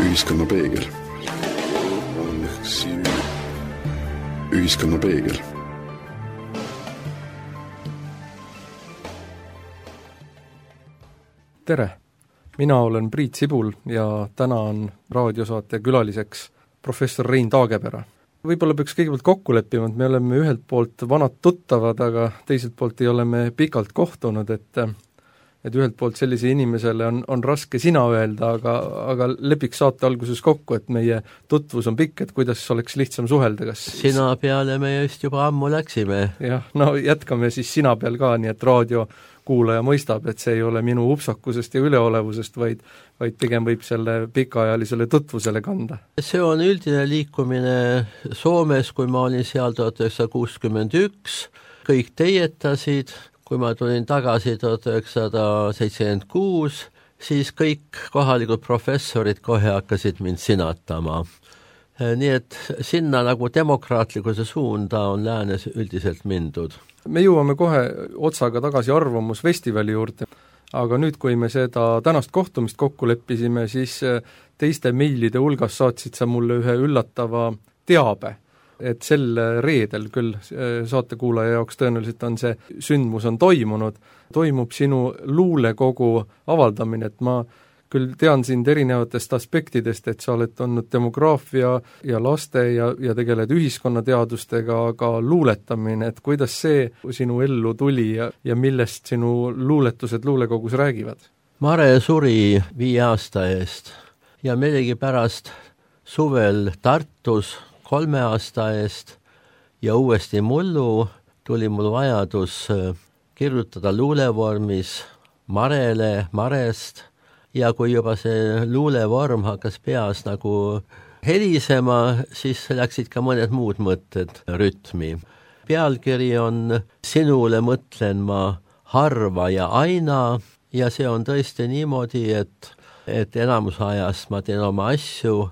Ühiskonna peegel. Ühiskonna peegel. Tere! Mina olen Priit Sibul ja täna on raadiosaate külaliseks professor Rein Taagepera. Võib-olla peaks kõigepealt kokku leppima, et me oleme ühelt poolt vanad tuttavad, aga teiselt poolt ei ole me pikalt kohtunud, et ühelt poolt sellise inimesele on raske sina öelda, aga lepiks saate alguses kokku, et meie tutvus on pikk, et kuidas oleks lihtsam suhelda, kas sina peale me just juba ammu läksime. Jah, no jätkame siis sina peal ka, nii et raadiokuulaja mõistab, et see ei ole minu upsakusest ja üleolevusest, vaid pigem võib selle pikaajalisele tutvusele kanda. See on üldine liikumine Soomes, kui ma olin seal 1961, kõik teietasid. Kui ma tulin tagasi 1976, siis kõik kohalikud professorid kohe hakkasid mind sinatama. Nii et sinna nagu demokraatlikkuse suunda on läänes üldiselt mindud. Me jõuame kohe otsaga tagasi arvamusfestivali juurde, aga nüüd, kui me seda tänast kohtumist kokku leppisime, siis teiste meilide hulgas saatsid sa mulle ühe üllatava teabe, et sel reedel küll saatekuulaja jaoks tõenäoliselt on see sündmus on toimub sinu luulekogu avaldamine, et ma küll tean sind erinevatest aspektidest, et sa oled olnud demograafia ja laste ja tegeled ühiskonnateadustega, aga luuletamine, et kuidas see sinu ellu tuli ja millest sinu luuletused luulekogus räägivad? Mare suri 5 aasta eest ja millegipärast suvel Tartus 3 aasta eest ja uuesti mullu tuli mul vajadus kirjutada luulevormis Marele, Marest ja kui juba see luulevorm hakkas peas nagu helisema, siis läksid ka mõned muud mõtted rütmi. Pealkiri on Sinule mõtlen ma harva ja aina ja see on tõesti niimoodi, et enamus ajast ma teen oma asju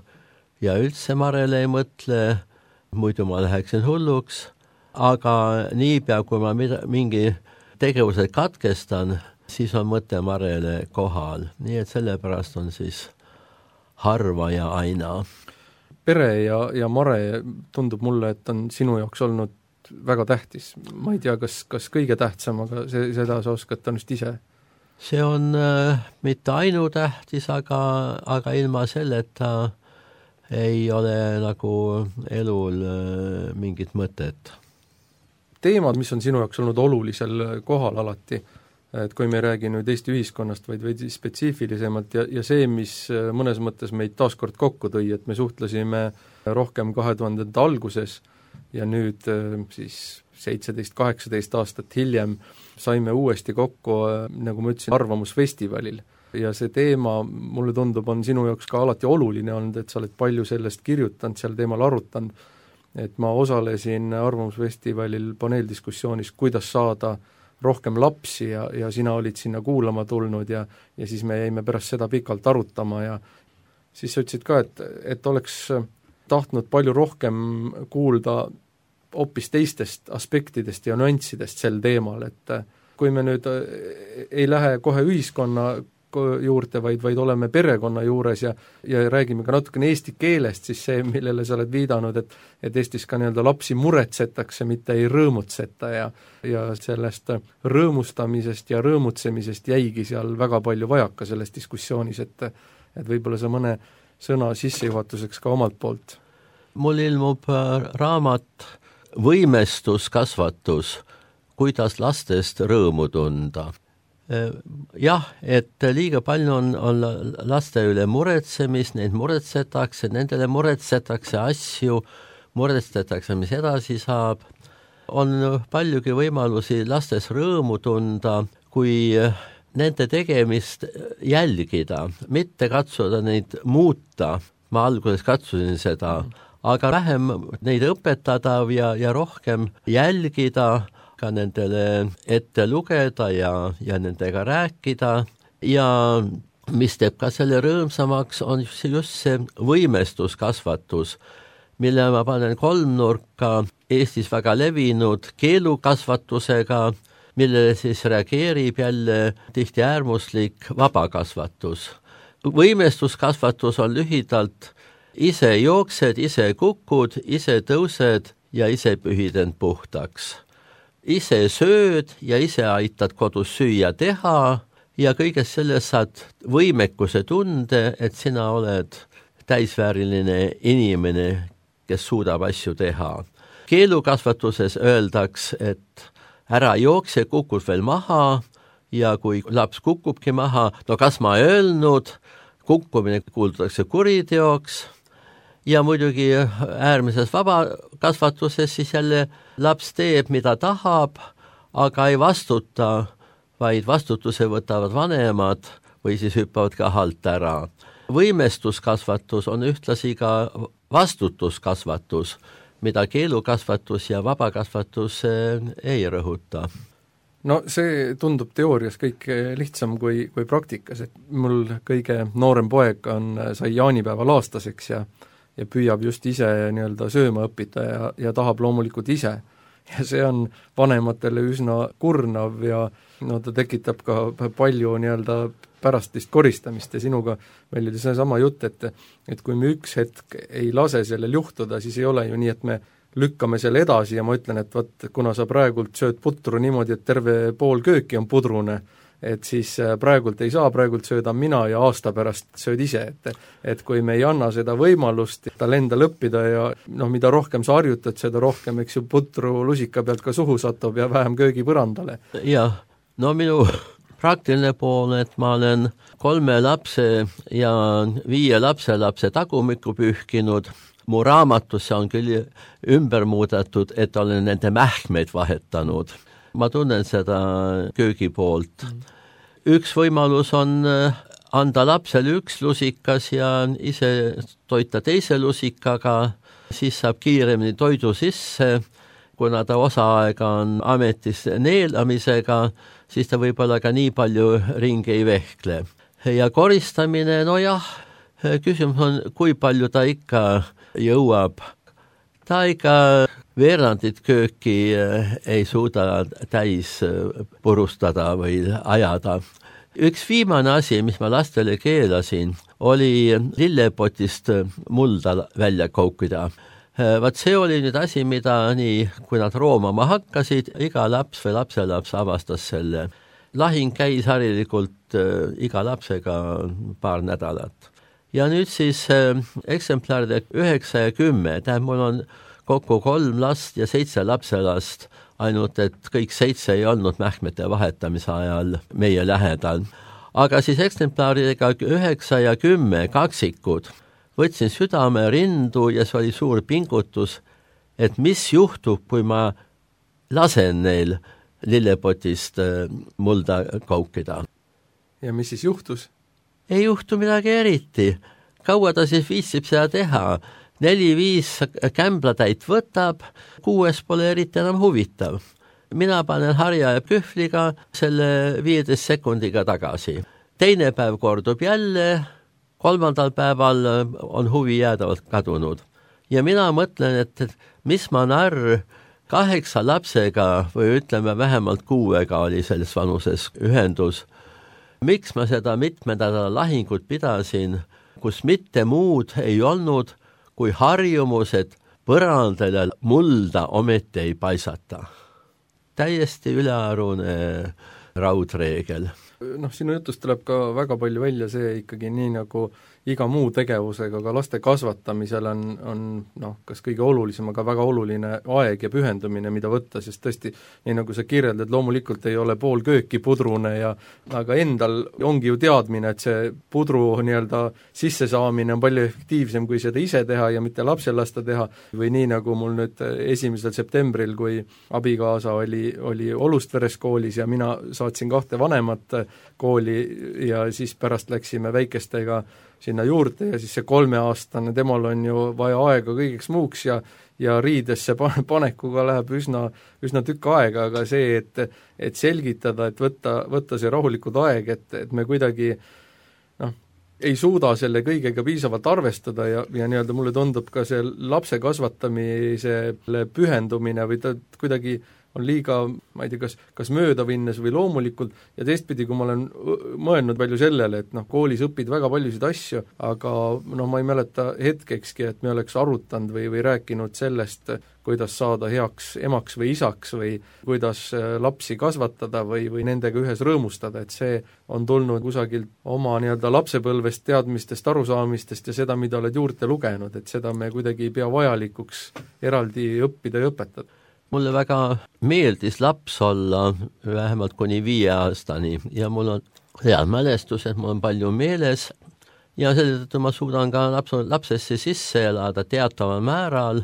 ja üldse Marele ei mõtle, muidu ma läheksin hulluks, aga niipea, kui ma mingi tegevused katkestan, siis on mõte Marele kohal. Nii et sellepärast on siis harva ja aina. Pere ja Mare tundub mulle, et on sinu jaoks olnud väga tähtis. Ma ei tea, kas kõige tähtsam, aga seda sa oskad tõenäoliselt ise. See on mitte ainutähtis, aga ilma selleta ei ole nagu elul mingit mõtet. Teemad, mis on sinu jaoks olnud olulisel kohal alati, et kui me ei räägi nüüd Eesti ühiskonnast, vaid veidi spetsiifilisemalt ja see, mis mõnes mõttes meid taaskord kokku tõi, et me suhtlesime rohkem 2000. alguses ja nüüd siis 17-18 aastat hiljem saime uuesti kokku, nagu ma ütlesin, arvamusfestivalil. Ja see teema, mulle tundub, on sinu jaoks ka alati oluline olnud, et sa oled palju sellest kirjutanud, seal teemal arutanud, et ma osalesin arvamusfestivalil paneeldiskussioonis, kuidas saada rohkem lapsi ja sina olid sinna kuulama tulnud ja siis me jäime pärast seda pikalt arutama ja siis sa ütlesid ka, et oleks tahtnud palju rohkem kuulda hoopis teistest aspektidest ja nüanssidest sel teemal, et kui me nüüd ei lähe kohe ühiskonna juurde, vaid oleme perekonna juures ja räägime ka natukene eesti keelest, siis see, millele sa oled viidanud, et Eestis ka nii-öelda lapsi muretsetakse, mitte ei rõõmutseta ja sellest rõõmustamisest ja rõõmutsemisest jäigi seal väga palju vajaka selles diskussioonis, et võib-olla sa mõne sõna sissejuhatuseks ka omalt poolt. Mul ilmub raamat Võimestuskasvatus, kuidas lastest rõõmu tunda. Jah, et liiga palju on laste üle muretsemist, neid muretsetakse, nendele muretsetakse asju, muretsetakse, mis edasi saab. On paljugi võimalusi lastes rõõmu tunda, kui nende tegemist jälgida, mitte katsuda neid muuta. Ma alguses katsusin seda, aga vähem neid õpetada ja rohkem jälgida, ka nendele ette lugeda ja nendega rääkida ja mis teeb ka selle rõõmsamaks, on just see võimestuskasvatus, mille ma panen kolmnurka Eestis väga levinud keelukasvatusega, millele siis reageerib jälle tihti äärmuslik vabakasvatus. võimestuskasvatus on lühidalt ise jooksed, ise kukud, ise tõused ja ise pühid end puhtaks. Ise sööd ja ise aitad kodus süüa teha ja kõigest sellest saad võimekuse tunde, et sina oled täisvääriline inimene, kes suudab asju teha. Keelukasvatuses öeldaks, et ära jookse, kukud veel maha ja kui laps kukubki maha, no kas ma öelnud, kukkumine kuuldatakse kuriteoks ja muidugi äärmises vabakasvatuses siis jälle laps teeb, mida tahab, aga ei vastuta, vaid vastutuse võtavad vanemad või siis hüppavad ka halt ära. Võimestuskasvatus on ühtlasi ka vastutuskasvatus, mida keelukasvatus ja vabakasvatus ei rõhuta. No see tundub teoorias kõik lihtsam kui praktikas, et mul kõige noorem poeg sai jaanipäeval aastaseks ja püüab just ise nii-öelda sööma õppida ja tahab loomulikult ise. Ja see on vanematele üsna kurnav ja no ta tekitab ka palju nii-öelda pärastist koristamist ja sinuga meil oli seesama jutt, et kui me üks hetk ei lase sellel juhtuda, siis ei ole ju nii, et me lükkame selle edasi ja ma ütlen, et võt, kuna sa praegult sööd putru niimoodi, et terve pool kööki on pudrune, et siis praegult ei saa, praegult söödan mina ja aasta pärast sööd ise, et kui me ei anna seda võimalust tal endal õppida ja noh, mida rohkem sa harjutad, seda rohkem, eks ju, putru lusika pealt ka suhu satub ja vähem köögipõrandale. Jah, no minu praktiline pool, et ma olen 3 lapse ja 5 lapselapse tagumikku pühkinud, mu raamatusse on küll ümber muudetud, et olen nende mähkmeid vahetanud. Ma tunnen seda köögi poolt. Üks võimalus on anda lapsele üks lusikas ja ise toita teise lusikaga, siis saab kiiremini toidu sisse, kuna ta osa aega on ametis neelamisega, siis ta võib-olla ka nii palju ringi ei vehkle. Ja koristamine, no jah, küsimus on, kui palju ta ikka jõuab. Ta ikka veerandit kööki ei suuda täis purustada või ajada. Üks viimane asi, mis ma lastele keelasin, oli lillepotist mulda välja koukida. Vaat see oli nüüd asi, mida nii, kui nad roomama hakkasid, iga laps või lapselaps avastas selle. Lahing käis harilikult iga lapsega paar nädalat. Ja nüüd siis eksemplaride 9 ja 10, tähendab, mul on kokku 3 last ja 7 lapselast, ainult et kõik 7 ei olnud mähkmete vahetamise ajal meie lähedal. Aga siis eksemplaridega 9 ja 10 kaksikud võtsin südame rindu ja see oli suur pingutus, et mis juhtub, kui ma lasen neil lillepotist mulda kaukida. Ja mis siis juhtus? Ei juhtu midagi eriti. Kaua ta siis viitsib seda teha? 4-5 kämblatäit võtab, 6 pole eriti enam huvitav. Mina panen harja ja kühvliga selle 15 sekundiga tagasi. Teine päev kordub jälle, 3. päeval on huvi jäädavalt kadunud. Ja mina mõtlen, et mis ma narr 8 lapsega või ütleme vähemalt 6 oli selles vanuses ühendus. Miks ma seda mitmendada lahingut pidasin, kus mitte muud ei olnud, kui harjumus, et põrandale mulda ometi ei paisata. Täiesti ülearune raudreegel. Noh, sinu jutust tuleb ka väga palju välja see ikkagi nii nagu iga muu tegevusega, aga laste kasvatamisel on noh, kas kõige olulisem, aga väga oluline aeg ja pühendumine, mida võtta, sest tõesti, nii nagu sa kirjeldad, loomulikult ei ole pool kööki pudrune aga endal ongi ju teadmine, et see pudru nii-öelda sissesaamine on palju efektiivsem, kui seda ise teha ja mitte lapsel lasta teha, või nii nagu mul nüüd 1. septembril, kui abikaasa oli Olustveres koolis ja mina saatsin 2 vanemat kooli ja siis pärast läksime väikestega sinna juurde ja siis see 3-aastane, temal on ju vaja aega kõigeks muuks ja riidesse panekuga läheb üsna tükk aega, aga see, et selgitada, et võtta see rahulikud aeg, et me kuidagi ei suuda selle kõigega piisavalt arvestada ja nii-öelda mulle tundub ka see lapse kasvatamisele pühendumine või ta kuidagi on liiga, ma ei tea, kas möödavinnes või loomulikult, ja teistpidi, kui ma olen mõelnud palju sellele, et koolis õpid väga paljusid asju, aga ma ei mäleta hetkekski, et me oleks arutanud või rääkinud sellest, kuidas saada heaks emaks või isaks või kuidas lapsi kasvatada või nendega ühes rõõmustada, et see on tulnud kusagilt oma lapsepõlvest, teadmistest, arusaamistest ja seda, mida oled juurde lugenud, et seda me kuidagi ei pea vajalikuks eraldi õppida ja õpetada. Mulle väga meeldis laps olla vähemalt kuni 5 aastani ja mul on head mälestused, mul on palju meeles ja seetõttu ma suudan ka lapsesse sisse elada teataval määral,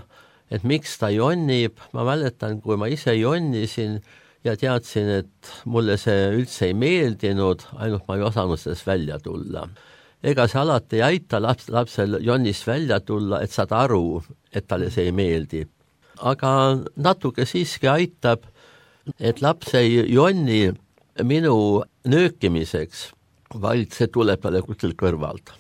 et miks ta jonnib. Ma mäletan, kui ma ise jonnisin ja teadsin, et mulle see üldse ei meeldinud, ainult ma ei osanud sellest välja tulla. Ega see alati ei aita lapsel jonnist välja tulla, et saad aru, et talle see ei meeldi. Aga natuke siiski aitab, et laps ei jonni minu nöökimiseks, vaid see tuleb talle kuskilt kõrvalt.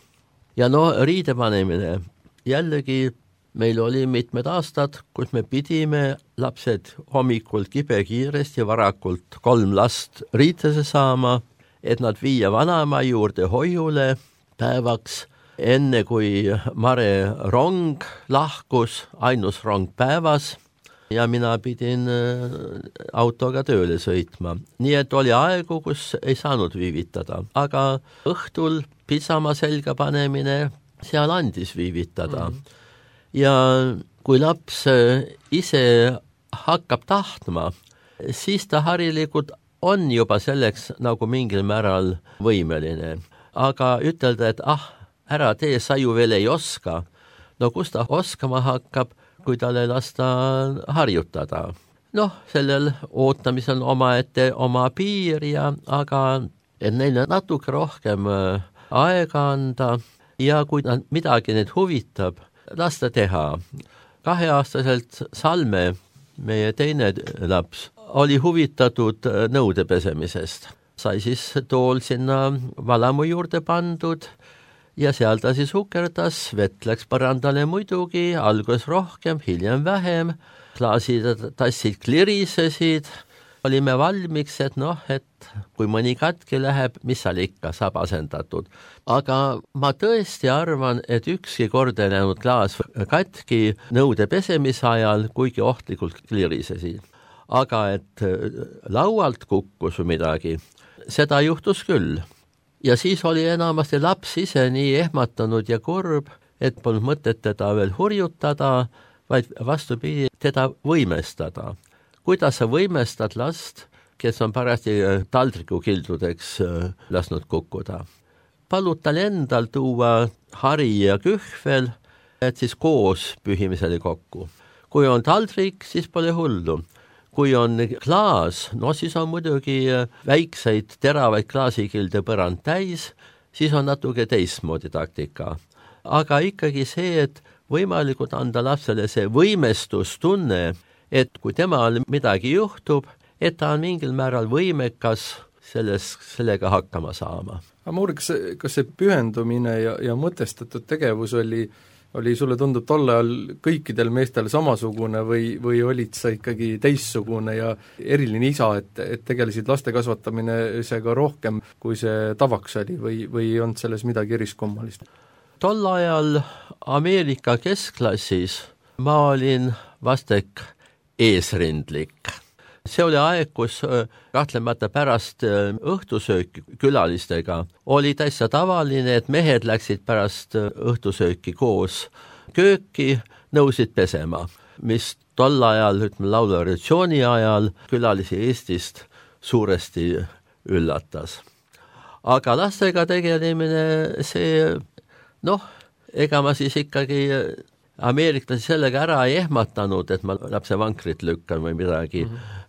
Ja riidepanemine, jällegi meil oli mitmed aastad, kus me pidime lapsed hommikul kibekiiresti varakult 3 last riitesse saama, et nad viia vanaema juurde hoiule päevaks, enne kui Mare rong lahkus, ainus rong päevas, ja mina pidin autoga tööle sõitma. Nii et oli aegu, kus ei saanud viivitada, aga õhtul pisama selga panemine, seal andis viivitada. Ja kui laps ise hakkab tahtma, siis ta harilikult on juba selleks nagu mingil määral võimeline. Aga ütelda, et ära tee, sa ju veel ei oska. Kus ta oskama hakkab, kui talle lasta harjutada? Sellel ootamisel omaette oma piir aga et neile natuke rohkem aega anda ja kui midagi neid huvitab, lasta teha. 2-aastaselt Salme, meie teine laps, oli huvitatud nõude pesemisest. Sai siis tool sinna valamu juurde pandud ja seal ta siis hukerdas, vett läks põrandale muidugi, alguses rohkem, hiljem vähem, klaasid, tassid klirisesid, olime valmiks, et kui mõni katki läheb, mis seal ikka saab asendatud. Aga ma tõesti arvan, et ükski kord ei läinud klaas katki nõude pesemise ajal, kuigi ohtlikult klirisesid. Aga et laualt kukkus midagi, seda juhtus küll. Ja siis oli enamasti laps ise nii ehmatanud ja kurb, et polnud mõtet teda veel hurjutada, vaid vastupidi, teda võimestada. Kuidas sa võimestad last, kes on parasti taldrikukildudeks lasknud kukkuda? Palud tal endal tuua hari ja kühvel, et siis koos pühimisele kokku. Kui on taldrik, siis pole hullu. Kui on klaas, siis on muidugi väikseid teravaid klaasikilde põrand täis, siis on natuke teistmoodi taktika. Aga ikkagi see, et võimalikult anda lapsele see võimestustunne, et kui temal midagi juhtub, et ta on mingil määral võimekas sellega hakkama saama. Aga ma uuriks, kas see pühendumine ja mõtestatud tegevus oli sulle tundub tolle ajal kõikidel meestel samasugune või olid sa ikkagi teistsugune ja eriline isa, et tegelesid laste kasvatamisega rohkem, kui see tavaks oli või on selles midagi eriskummalist? Tol ajal Ameerika keskklassis ma olin vastek eesrindlik. See oli aeg, kus kahtlemata pärast õhtusööki külalistega oli täitsa tavaline, et mehed läksid pärast õhtusööki koos kööki, nõusid pesema, mis tol ajal, laulurevolutsiooni ajal külalisi Eestist suuresti üllatas. Aga lastega tegelemine, see, ega ma siis ikkagi ameeriklasi sellega ära ei ehmatanud, et ma lapse vankrit lükkan või midagi.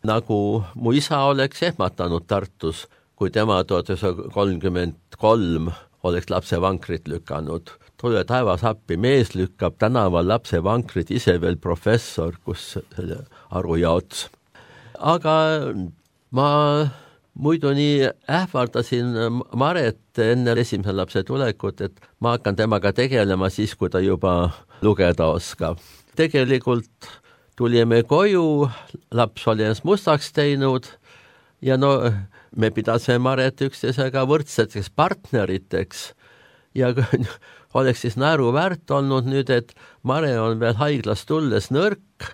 Nagu mu isa oleks ehmatanud Tartus, kui tema 1933 oleks lapse vankrit lükanud. Tule taevas appi, mees lükkab tänaval lapse vankrit, ise veel professor, kus selle aru jaots. Aga ma muidu nii ähvardasin Maret enne esimese lapse tulekut, et ma hakkan temaga tegelema siis, kui ta juba lugeda oskab. Tegelikult tulime koju, laps oli ennast mustaks teinud ja no me pidasime Maret üksteisega võrdseteks partneriteks ja oleks siis naeruväärt olnud nüüd, et Mare on veel haiglast tulles nõrk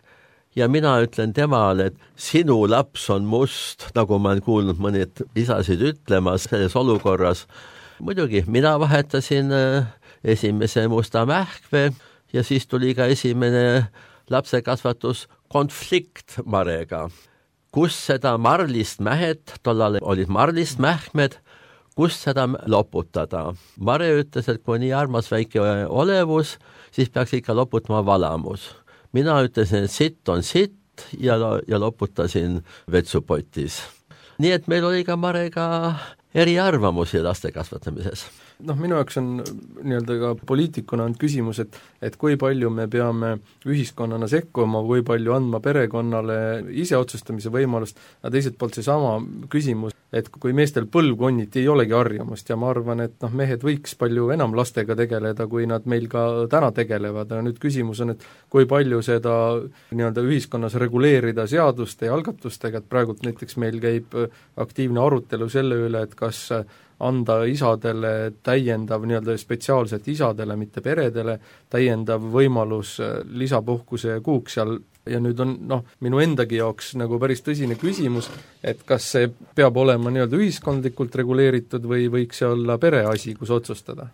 ja mina ütlen temale, et sinu laps on must, nagu ma olen kuulnud mõned isasid ütlemas selles olukorras. Muidugi, mina vahetasin esimese musta mähkve ja siis tuli ka esimene lapsekasvatus konflikt Marega. Kus seda marlist mähet, tollal olid marlist mähkmed, kus seda loputada. Mare ütles, et kui nii armas väike olevus, siis peaks ikka loputama valamus. Mina ütlesin, et sitt on sitt ja loputasin vetsupotis. Nii et meil oli ka Marega eriarvamusi laste kasvatamises. Minu jaoks on nii-öelda ka poliitikuna on küsimus, et kui palju me peame ühiskonnana sekkuma, kui palju andma perekonnale ise otsustamise võimalust, ja teiselt poolt seesama küsimus, et kui meestel põlvkonniti ei olegi harjumust ja ma arvan, et mehed võiks palju enam lastega tegeleda, kui nad meil ka täna tegelevad, ja nüüd küsimus on, et kui palju seda nii-öelda ühiskonnas reguleerida seaduste ja algatustega, et praegult näiteks meil käib aktiivne arutelu selle üle, et kas anda isadele täiendav, nii-öelda spetsiaalselt isadele, mitte peredele, täiendav võimalus lisapuhkuse kuuks seal ja nüüd on minu endagi jaoks nagu päris tõsine küsimus, et kas see peab olema nii-öelda ühiskondlikult reguleeritud või võiks see olla pereasi, kus otsustada?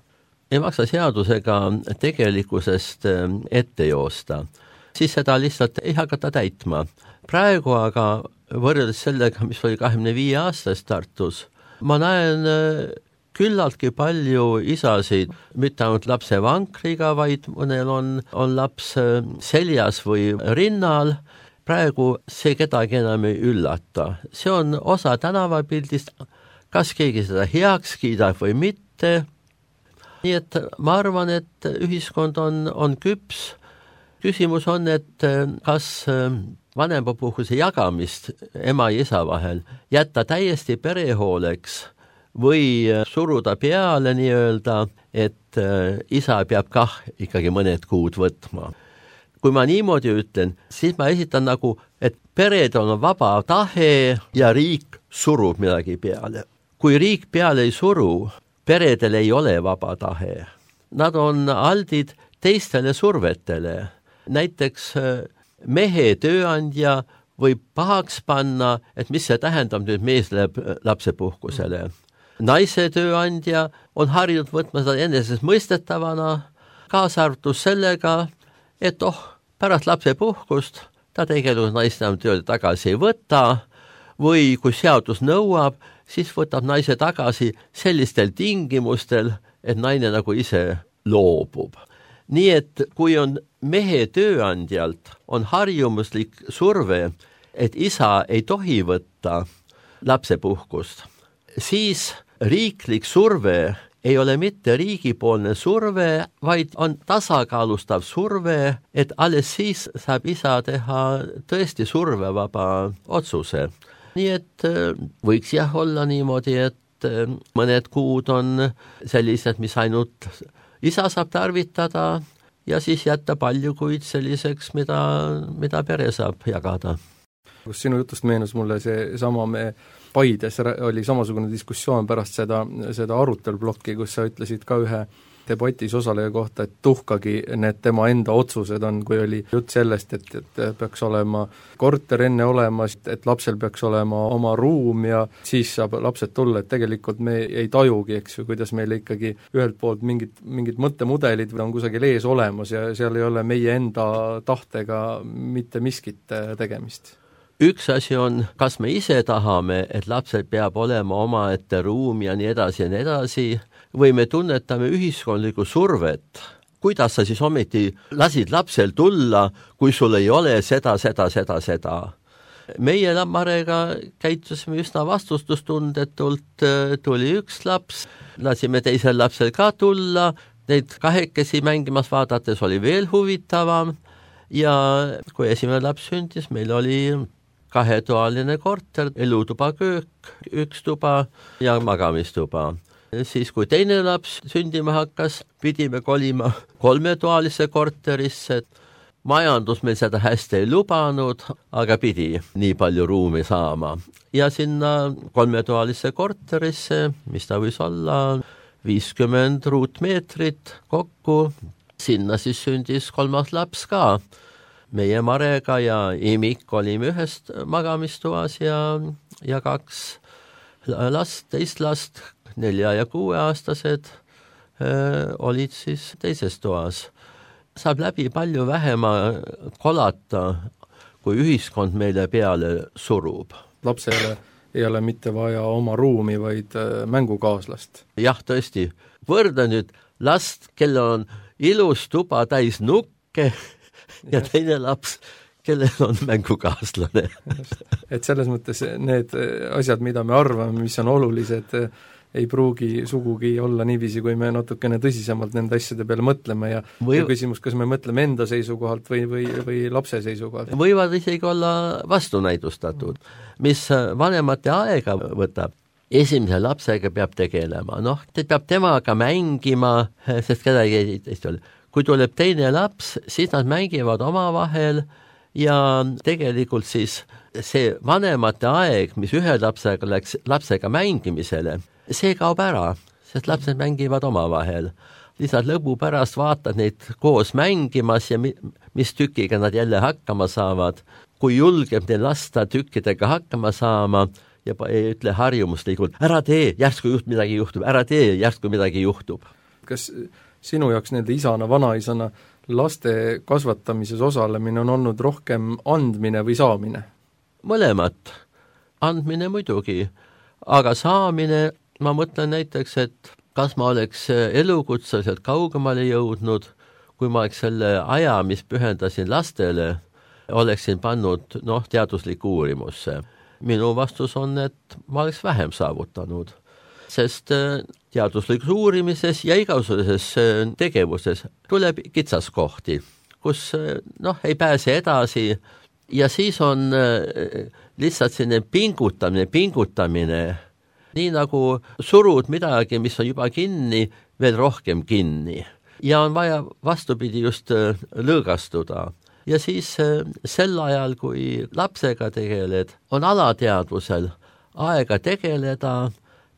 Ei maksa seadusega tegelikkusest ette joosta, siis seda lihtsalt ei hakata täitma. Praegu aga võrreldes sellega, mis oli 25 aastast Tartus, ma näen küllaltki palju isasid, mitte ainult lapse vankriga, vaid mõnel on laps seljas või rinnal. Praegu see kedagi enam ei üllata. See on osa tänavapildist, kas keegi seda heaks kiidab või mitte. Nii et ma arvan, et ühiskond on küps. Küsimus on, et kas vanemapuhkuse jagamist ema ja isa vahel jätta täiesti perehooleks või suruda peale nii-öelda, et isa peab kah ikkagi mõned kuud võtma. Kui ma niimoodi ütlen, siis ma esitan nagu, et pered on vaba tahe ja riik surub midagi peale. Kui riik peale ei suru, peredel ei ole vaba tahe. Nad on aldid teistele survetele. Näiteks mehe tööandja võib pahaks panna, et mis see tähendab nüüd mees läheb lapsepuhkusele. Naise tööandja on harjunud võtma seda enesestmõistetavana, kaasa arvatud sellega, et pärast lapsepuhkust ta tegelikult naist enam tööle tagasi ei võta või kui seadus nõuab, siis võtab naise tagasi sellistel tingimustel, et naine nagu ise loobub. Nii et kui on mehe tööandjalt on harjumuslik surve, et isa ei tohi võtta lapsepuhkust, siis riiklik surve ei ole mitte riigipoolne surve, vaid on tasakaalustav surve, et alles siis saab isa teha tõesti survevaba otsuse. Nii et võiks olla niimoodi, et mõned kuud on sellised, mis ainult isa saab tarvitada ja siis jätta palju kuid selliseks, mida pere saab jagada. Kus sinu jutust meenus mulle see sama Paides oli samasugune diskussioon pärast seda arutelblokki, kus sa ütlesid ka ühe debatis osaleja kohta, et tuhkagi need tema enda otsused on, kui oli jutt sellest, et peaks olema korter enne olemas, et lapsel peaks olema oma ruum ja siis saab lapsed tulla, et tegelikult me ei tajugi, eks ju, kuidas meil ikkagi ühelt poolt mingid mõttemudelid on kusagil ees olemas ja seal ei ole meie enda tahtega mitte miskit tegemist. Üks asi on, kas me ise tahame, et lapsel peab olema omaette ruum ja nii edasi, või me tunnetame ühiskondlikku survet. Kuidas sa siis ometi lasid lapsel tulla, kui sul ei ole seda. Meie Marega käitusime üsna vastutustundetult, tuli üks laps, lasime teisel lapsel ka tulla, neid kahekesi mängimas vaadates oli veel huvitavam ja kui esimene laps sündis, meil oli 2-toaline korter, elutuba, köök, 1 tuba ja magamistuba. Siis kui teine laps sündima hakkas, pidime kolima 3-toalisse korterisse. majandus meil seda hästi ei lubanud, aga pidi nii palju ruumi saama. Ja sinna 3-toalisse korterisse, mis ta võis olla 50 ruutmeetrit kokku, sinna siis sündis 3. laps ka. Meie Marega ja Imik olime ühest magamistoas ja 2 last, teist last, 4- ja 6-aastased olid siis teises toas. Saab läbi palju vähema kolata, kui ühiskond meile peale surub. Lapsele ei ole mitte vaja oma ruumi, vaid mängukaaslast. Jah, tõesti. Võrda nüüd last, kellel on ilus tuba täis nukke ja teine laps, kellel on mängukaaslane. Et selles mõttes need asjad, mida me arvame, mis on olulised, ei pruugi sugugi olla niiviisi, kui me natukene tõsisemalt nende asjade peale mõtleme ja küsimus, kas me mõtleme enda seisukohalt või lapse seisukohalt. Võivad isegi olla vastunäidustatud, mis vanemate aega võtab. Esimese lapsega peab tegelema, ta peab temaga mängima, sest kedagi ei ole. Kui tuleb teine laps, siis nad mängivad omavahel ja tegelikult siis see vanemate aeg, mis ühe lapsega läks lapsega mängimisele, see kaob ära, sest lapsed mängivad omavahel. Lihtsalt lõbu pärast vaatad neid koos mängimas ja mis tükiga nad jälle hakkama saavad. Kui julgeb neil lasta tükkidega hakkama saama ja ei ütle harjumuslikult, ära tee, järsku midagi juhtub, ära tee, järsku midagi juhtub. Kas sinu jaoks nende isana, vanaisana laste kasvatamises osalemine on olnud rohkem andmine või saamine? Mõlemat. Andmine muidugi, aga saamine, ma mõtlen näiteks, et kas ma oleks elukutseliselt kaugemale jõudnud, kui ma oleks selle aja, mis pühendasin lastele, oleksin pannud teaduslikku uurimusse. Minu vastus on, et ma oleks vähem saavutanud, sest teaduslikus uurimises ja igasuguses tegevuses tuleb kitsaskohti, kus ei pääse edasi ja siis on lihtsalt selline pingutamine, nii nagu surud midagi, mis on juba kinni, veel rohkem kinni ja on vaja vastupidi just lõõgastuda. Ja siis sel ajal, kui lapsega tegeled, on alateadvusel aega tegeleda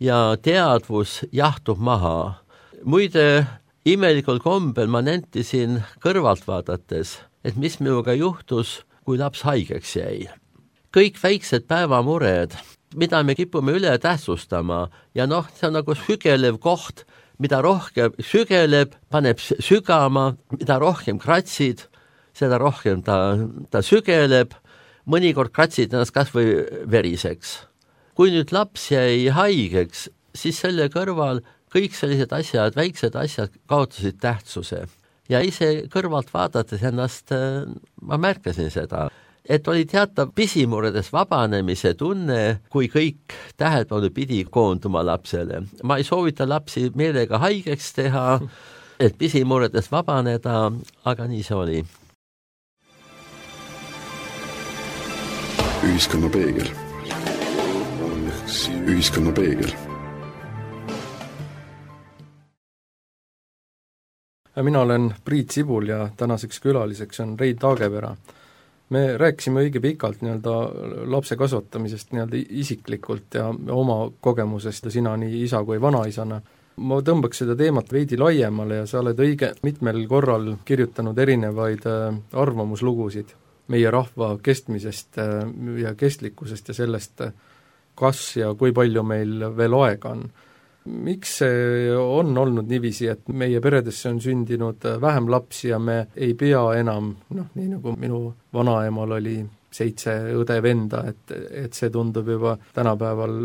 ja teadvus jahtub maha. Muide, imelikul kombel ma nentisin kõrvalt vaadates, et mis minuga juhtus, kui laps haigeks jäi. Kõik väiksed päevamured, mida me kipume üle tähtsustama ja see on nagu sügelev koht, mida rohkem sügeleb, paneb sügama, mida rohkem kratsid, seda rohkem ta sügeleb, mõnikord kratsid ennast kas või veriseks. Kui nüüd laps jäi haigeks, siis selle kõrval kõik sellised asjad, väiksed asjad kaotasid tähtsuse. Ja ise kõrvalt vaadates ennast, ma märkasin seda, et oli teatav pisimuredes vabanemise tunne, kui kõik tähelepanu pidi koonduma lapsele. Ma ei soovita lapsi meelega haigeks teha, et pisimuredes vabaneda, aga nii see oli. Ühiskonna peegel. Ühiskonna peegel. Mina olen Priit Sibul ja tänaseks külaliseks on Rein Taagepera. Me rääkisime õige pikalt lapse kasvatamisest isiklikult ja oma kogemusest ja sina nii isa kui vanaisana. Ma tõmbaks seda teemat veidi laiemale ja sa oled õige mitmel korral kirjutanud erinevaid arvamuslugusid meie rahva kestmisest ja kestlikkusest ja sellest, kas ja kui palju meil veel aega on. Miks see on olnud niiviisi, et meie peredesse on sündinud vähem lapsi ja me ei pea enam, nii nagu minu vanaemal oli 7 õde-venda, et see tundub juba tänapäeval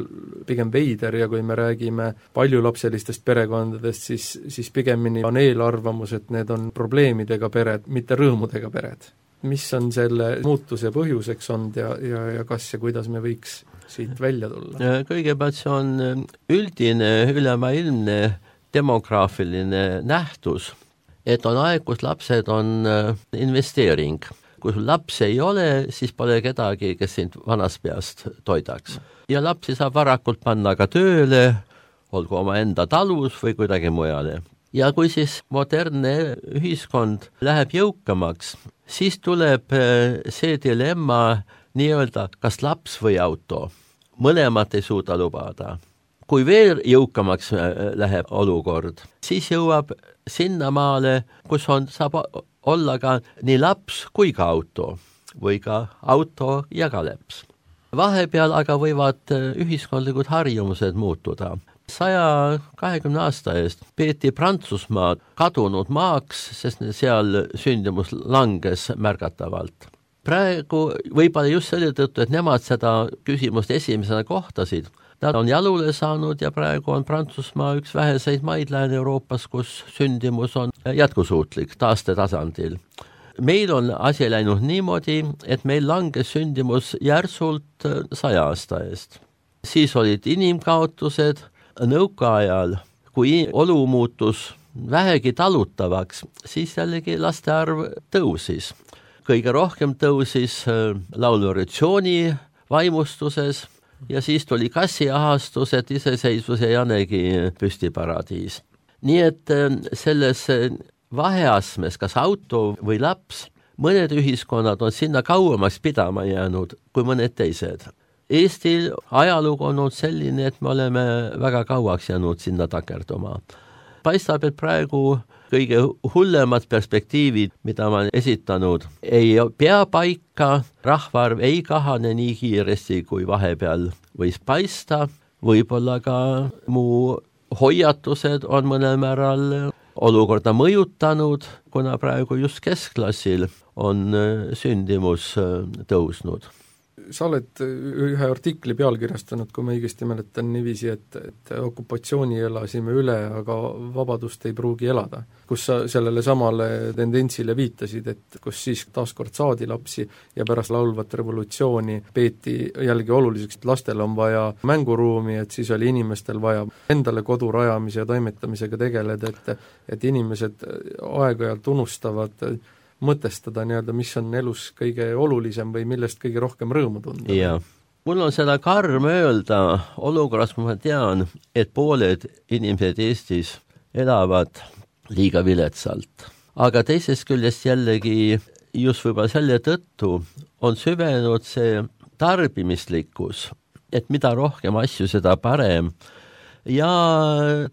pigem veider ja kui me räägime paljulapselistest perekondadest, siis pigemini on eelarvamus, et need on probleemidega pered, mitte rõõmudega pered. Mis on selle muutuse põhjuseks olnud ja kas ja kuidas me võiks siit välja tulla? Kõigepealt see on üldine ülemaailmne demograafiline nähtus, et on aeg, kus lapsed on investeering. Kui sul laps ei ole, siis pole kedagi, kes sind vanast peast toidaks. Ja lapsi saab varakult panna ka tööle, olgu oma enda talus või kuidagi mujale. Ja kui siis modernne ühiskond läheb jõukamaks, siis tuleb see dilemma nii-öelda kas laps või auto. Mõlemat ei suuda lubada. Kui veel jõukamaks läheb olukord, siis jõuab sinnamaale, kus saab olla ka nii laps kui ka auto või ka auto ja ka laps. Vahepeal aga võivad ühiskondlikud harjumused muutuda. 120 aasta eest peeti Prantsusmaa kadunud maaks, sest seal sündimus langes märgatavalt. Praegu võib-olla just selle tõttu, et nemad seda küsimust esimesena kohtasid. Nad on jalule saanud ja praegu on Prantsusmaa üks väheseid maid Lääne-Euroopas, kus sündimus on jätkusuutlik taastetasandil. Meil on asi läinud niimoodi, et meil langes sündimus järsult 100 aasta eest. Siis olid inimkaotused. Nõukaajal, kui olu muutus vähegi talutavaks, siis jällegi laste arv tõusis. Kõige rohkem tõusis laulurevolutsiooni vaimustuses ja siis tuli kassiahastus, et iseseisvus ja Janegi püstiparadiis. Nii et selles vaheasmes, kas auto või laps, mõned ühiskonnad on sinna kauemaks pidama jäänud kui mõned teised. Eestil ajalugu on olnud selline, et me oleme väga kauaks jäänud sinna takerduma. Paistab, et praegu kõige hullemad perspektiivid, mida ma olen esitanud, ei pea paika, rahvaarv ei kahane nii kiiresti, kui vahepeal võis paista, võib-olla ka mu hoiatused on mõnel määral olukorda mõjutanud, kuna praegu just keskklassil on sündimus tõusnud. Sa oled ühe artikli pealkirjastanud, kui ma õigesti mäletan niiviisi, et okupatsiooni elasime üle, aga vabadust ei pruugi elada. Kus sa sellele samale tendentsile viitasid, et kus siis taaskord saadi lapsi ja pärast laulvat revolutsiooni peeti jällegi oluliseks, et lastel on vaja mänguruumi, et siis oli inimestel vaja endale kodu rajamise ja toimetamisega tegeleda, et inimesed aeg-ajalt unustavad mõtestada nii-öelda, mis on elus kõige olulisem või millest kõige rohkem rõõmu tunda. Ja. Mul on seda karm öelda olukorras, kui ma tean, et pooled inimesed Eestis elavad liiga viletsalt. Aga teisest küljest jällegi just võib-olla selle tõttu on süvenud see tarbimislikkus, et mida rohkem asju, seda parem, ja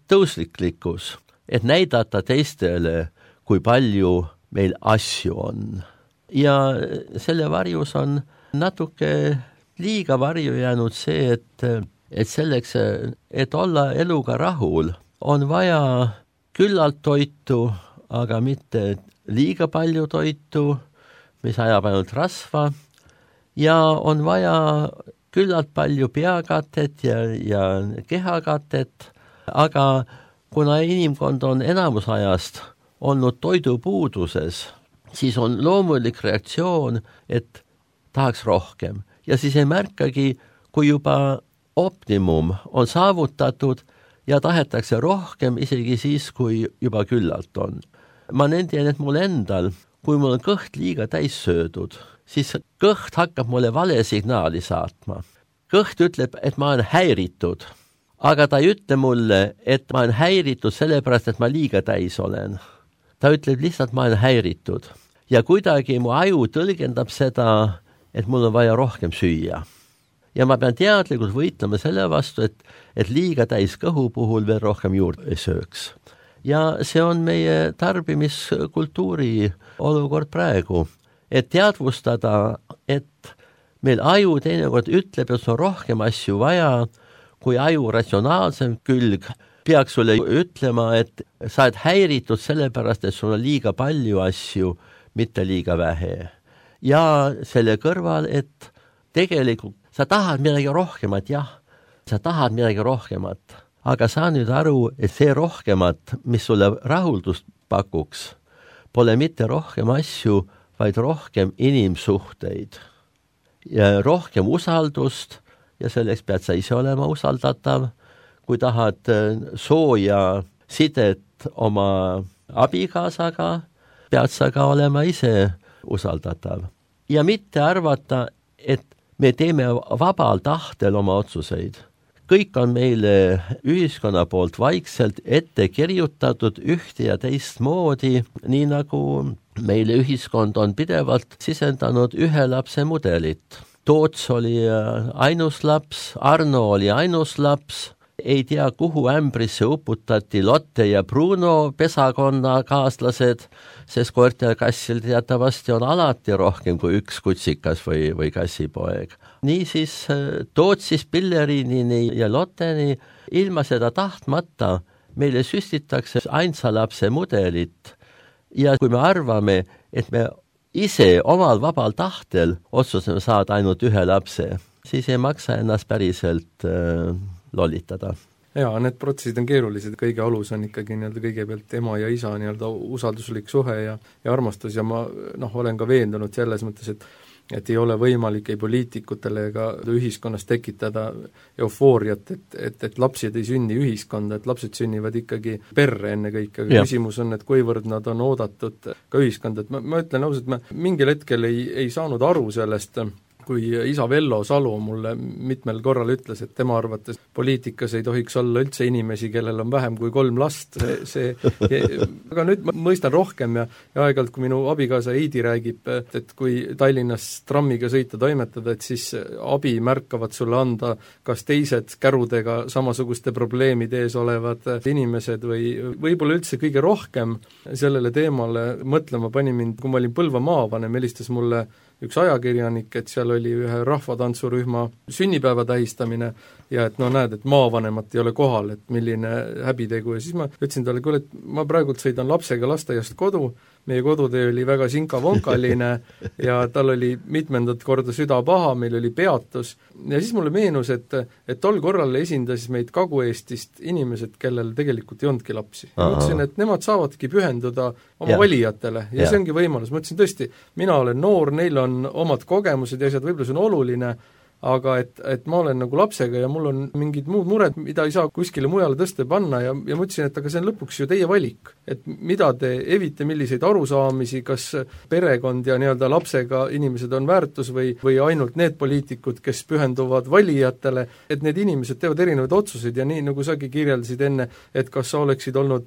tõusliklikkus, et näidata teistele, kui palju meil asju on. Ja selle varjus on natuke liiga varju jäänud see, et selleks, et olla eluga rahul, on vaja küllalt toitu, aga mitte liiga palju toitu, mis ajab ainult rasva, ja on vaja küllalt palju peakatet ja kehakatet, aga kuna inimkond on enamus ajast olnud toidupuuduses, siis on loomulik reaktsioon, et tahaks rohkem. Ja siis ei märkagi, kui juba optimum on saavutatud ja tahetakse rohkem isegi siis, kui juba küllalt on. Ma nendin, et mul endal, kui mul on kõht liiga täis söödud, siis kõht hakkab mulle vale signaali saatma. Kõht ütleb, et ma olen häiritud, aga ta ei ütle mulle, et ma olen häiritud sellepärast, et ma liiga täis olen. Ta ütleb lihtsalt, ma olen häiritud. Ja kuidagi mu aju tõlgendab seda, et mul on vaja rohkem süüa. Ja ma pean teadlikult võitlema selle vastu, et liiga täis kõhu puhul veel rohkem juurde ei sööks. Ja see on meie tarbimiskultuuri olukord praegu. Et teadvustada, et meil aju teinekord ütleb, et on rohkem asju vaja, kui aju ratsionaalsem külg peaks sulle ütlema, et sa oled häiritud sellepärast, et sul on liiga palju asju, mitte liiga vähe. Ja selle kõrval, et tegelikult sa tahad midagi rohkemat, jah, sa tahad midagi rohkemat, aga saa nüüd aru, et see rohkemat, mis sulle rahuldust pakuks, pole mitte rohkem asju, vaid rohkem inimsuhteid ja rohkem usaldust ja selleks pead sa ise olema usaldatav. Kui tahad sooja sidet oma abikaasaga, pead sa ka olema ise usaldatav. Ja mitte arvata, et me teeme vabal tahtel oma otsuseid. kõik on meile ühiskonna poolt vaikselt ette kirjutatud ühte ja teistmoodi, nii nagu meile ühiskond on pidevalt sisendanud ühe lapse mudelit. Toots oli ainus laps, Arno oli ainus laps, ei tea, kuhu ämbrisse uputati Lotte ja Bruno pesakonna kaaslased, sest koertekassil teatavasti on alati rohkem kui üks kutsikas või kassipoeg. Niisiis Tootsist Pillerinini ja Lotteni ilma seda tahtmata meile süstitakse ainsa lapse mudelit ja kui me arvame, et me ise omal vabal tahtel otsusame saada ainult ühe lapse, siis ei maksa ennast päriselt lollitada. Jaa, need protsessid on keerulised, kõige alus on ikkagi kõigepealt ema ja isa usalduslik suhe ja armastus ja ma olen ka veendunud selles mõttes, et ei ole võimalik ei poliitikutele ega ühiskonnas tekitada eufooriat, et lapsed ei sünni ühiskonda, et lapsed sünnivad ikkagi perre ennekõike, aga küsimus on, et kuivõrd nad on oodatud ka ühiskonda, et ma ütlen ausalt, ma mingil hetkel ei saanud aru sellest, kui isa Vello Salu mulle mitmel korral ütles, et tema arvates poliitikas ei tohiks olla üldse inimesi, kellel on vähem kui 3 last, aga nüüd ma mõistan rohkem ja aeg-ajalt, kui minu abikaasa Heidi räägib, et kui Tallinnas trammiga sõita toimetada, et siis abi märkavad sulle anda kas teised kärudega samasuguste probleemide ees olevad inimesed või võib-olla üldse kõige rohkem sellele teemale mõtlema pani mind, kui ma olin Põlva maavanem, helistas mulle üks ajakirjanik, et seal oli ühe rahvatantsurühma sünnipäeva tähistamine ja et näed, et maavanemat ei ole kohal, et milline häbitegu ja siis ma ütlesin talle, kuule, et ma praegult sõidan lapsega lasteaiast kodu, meie kodutee oli väga sinka-vonkaline ja tal oli mitmendat korda süda paha, meil oli peatus ja siis mulle meenus, et tol korral esindas meid Kagu-Eestist inimesed, kellel tegelikult ei olnudki lapsi. Ma ütlesin, et nemad saavadki pühenduda oma valijatele ja see ongi võimalus. Ma ütlesin tõesti, mina olen noor, neil on omad kogemused ja asjad, võib-olla see on oluline, aga et ma olen nagu lapsega ja mul on mingid muud mured, mida ei saa kuskile mujale tõsta panna ja ma ütlesin, et aga see on lõpuks ju teie valik. Et mida te evite, milliseid arusaamisi, kas perekond ja lapsega inimesed on väärtus või ainult need poliitikud, kes pühenduvad valijatele, et need inimesed teevad erinevaid otsuseid ja nii, nagu sagi kirjeldasid enne, et kas sa oleksid olnud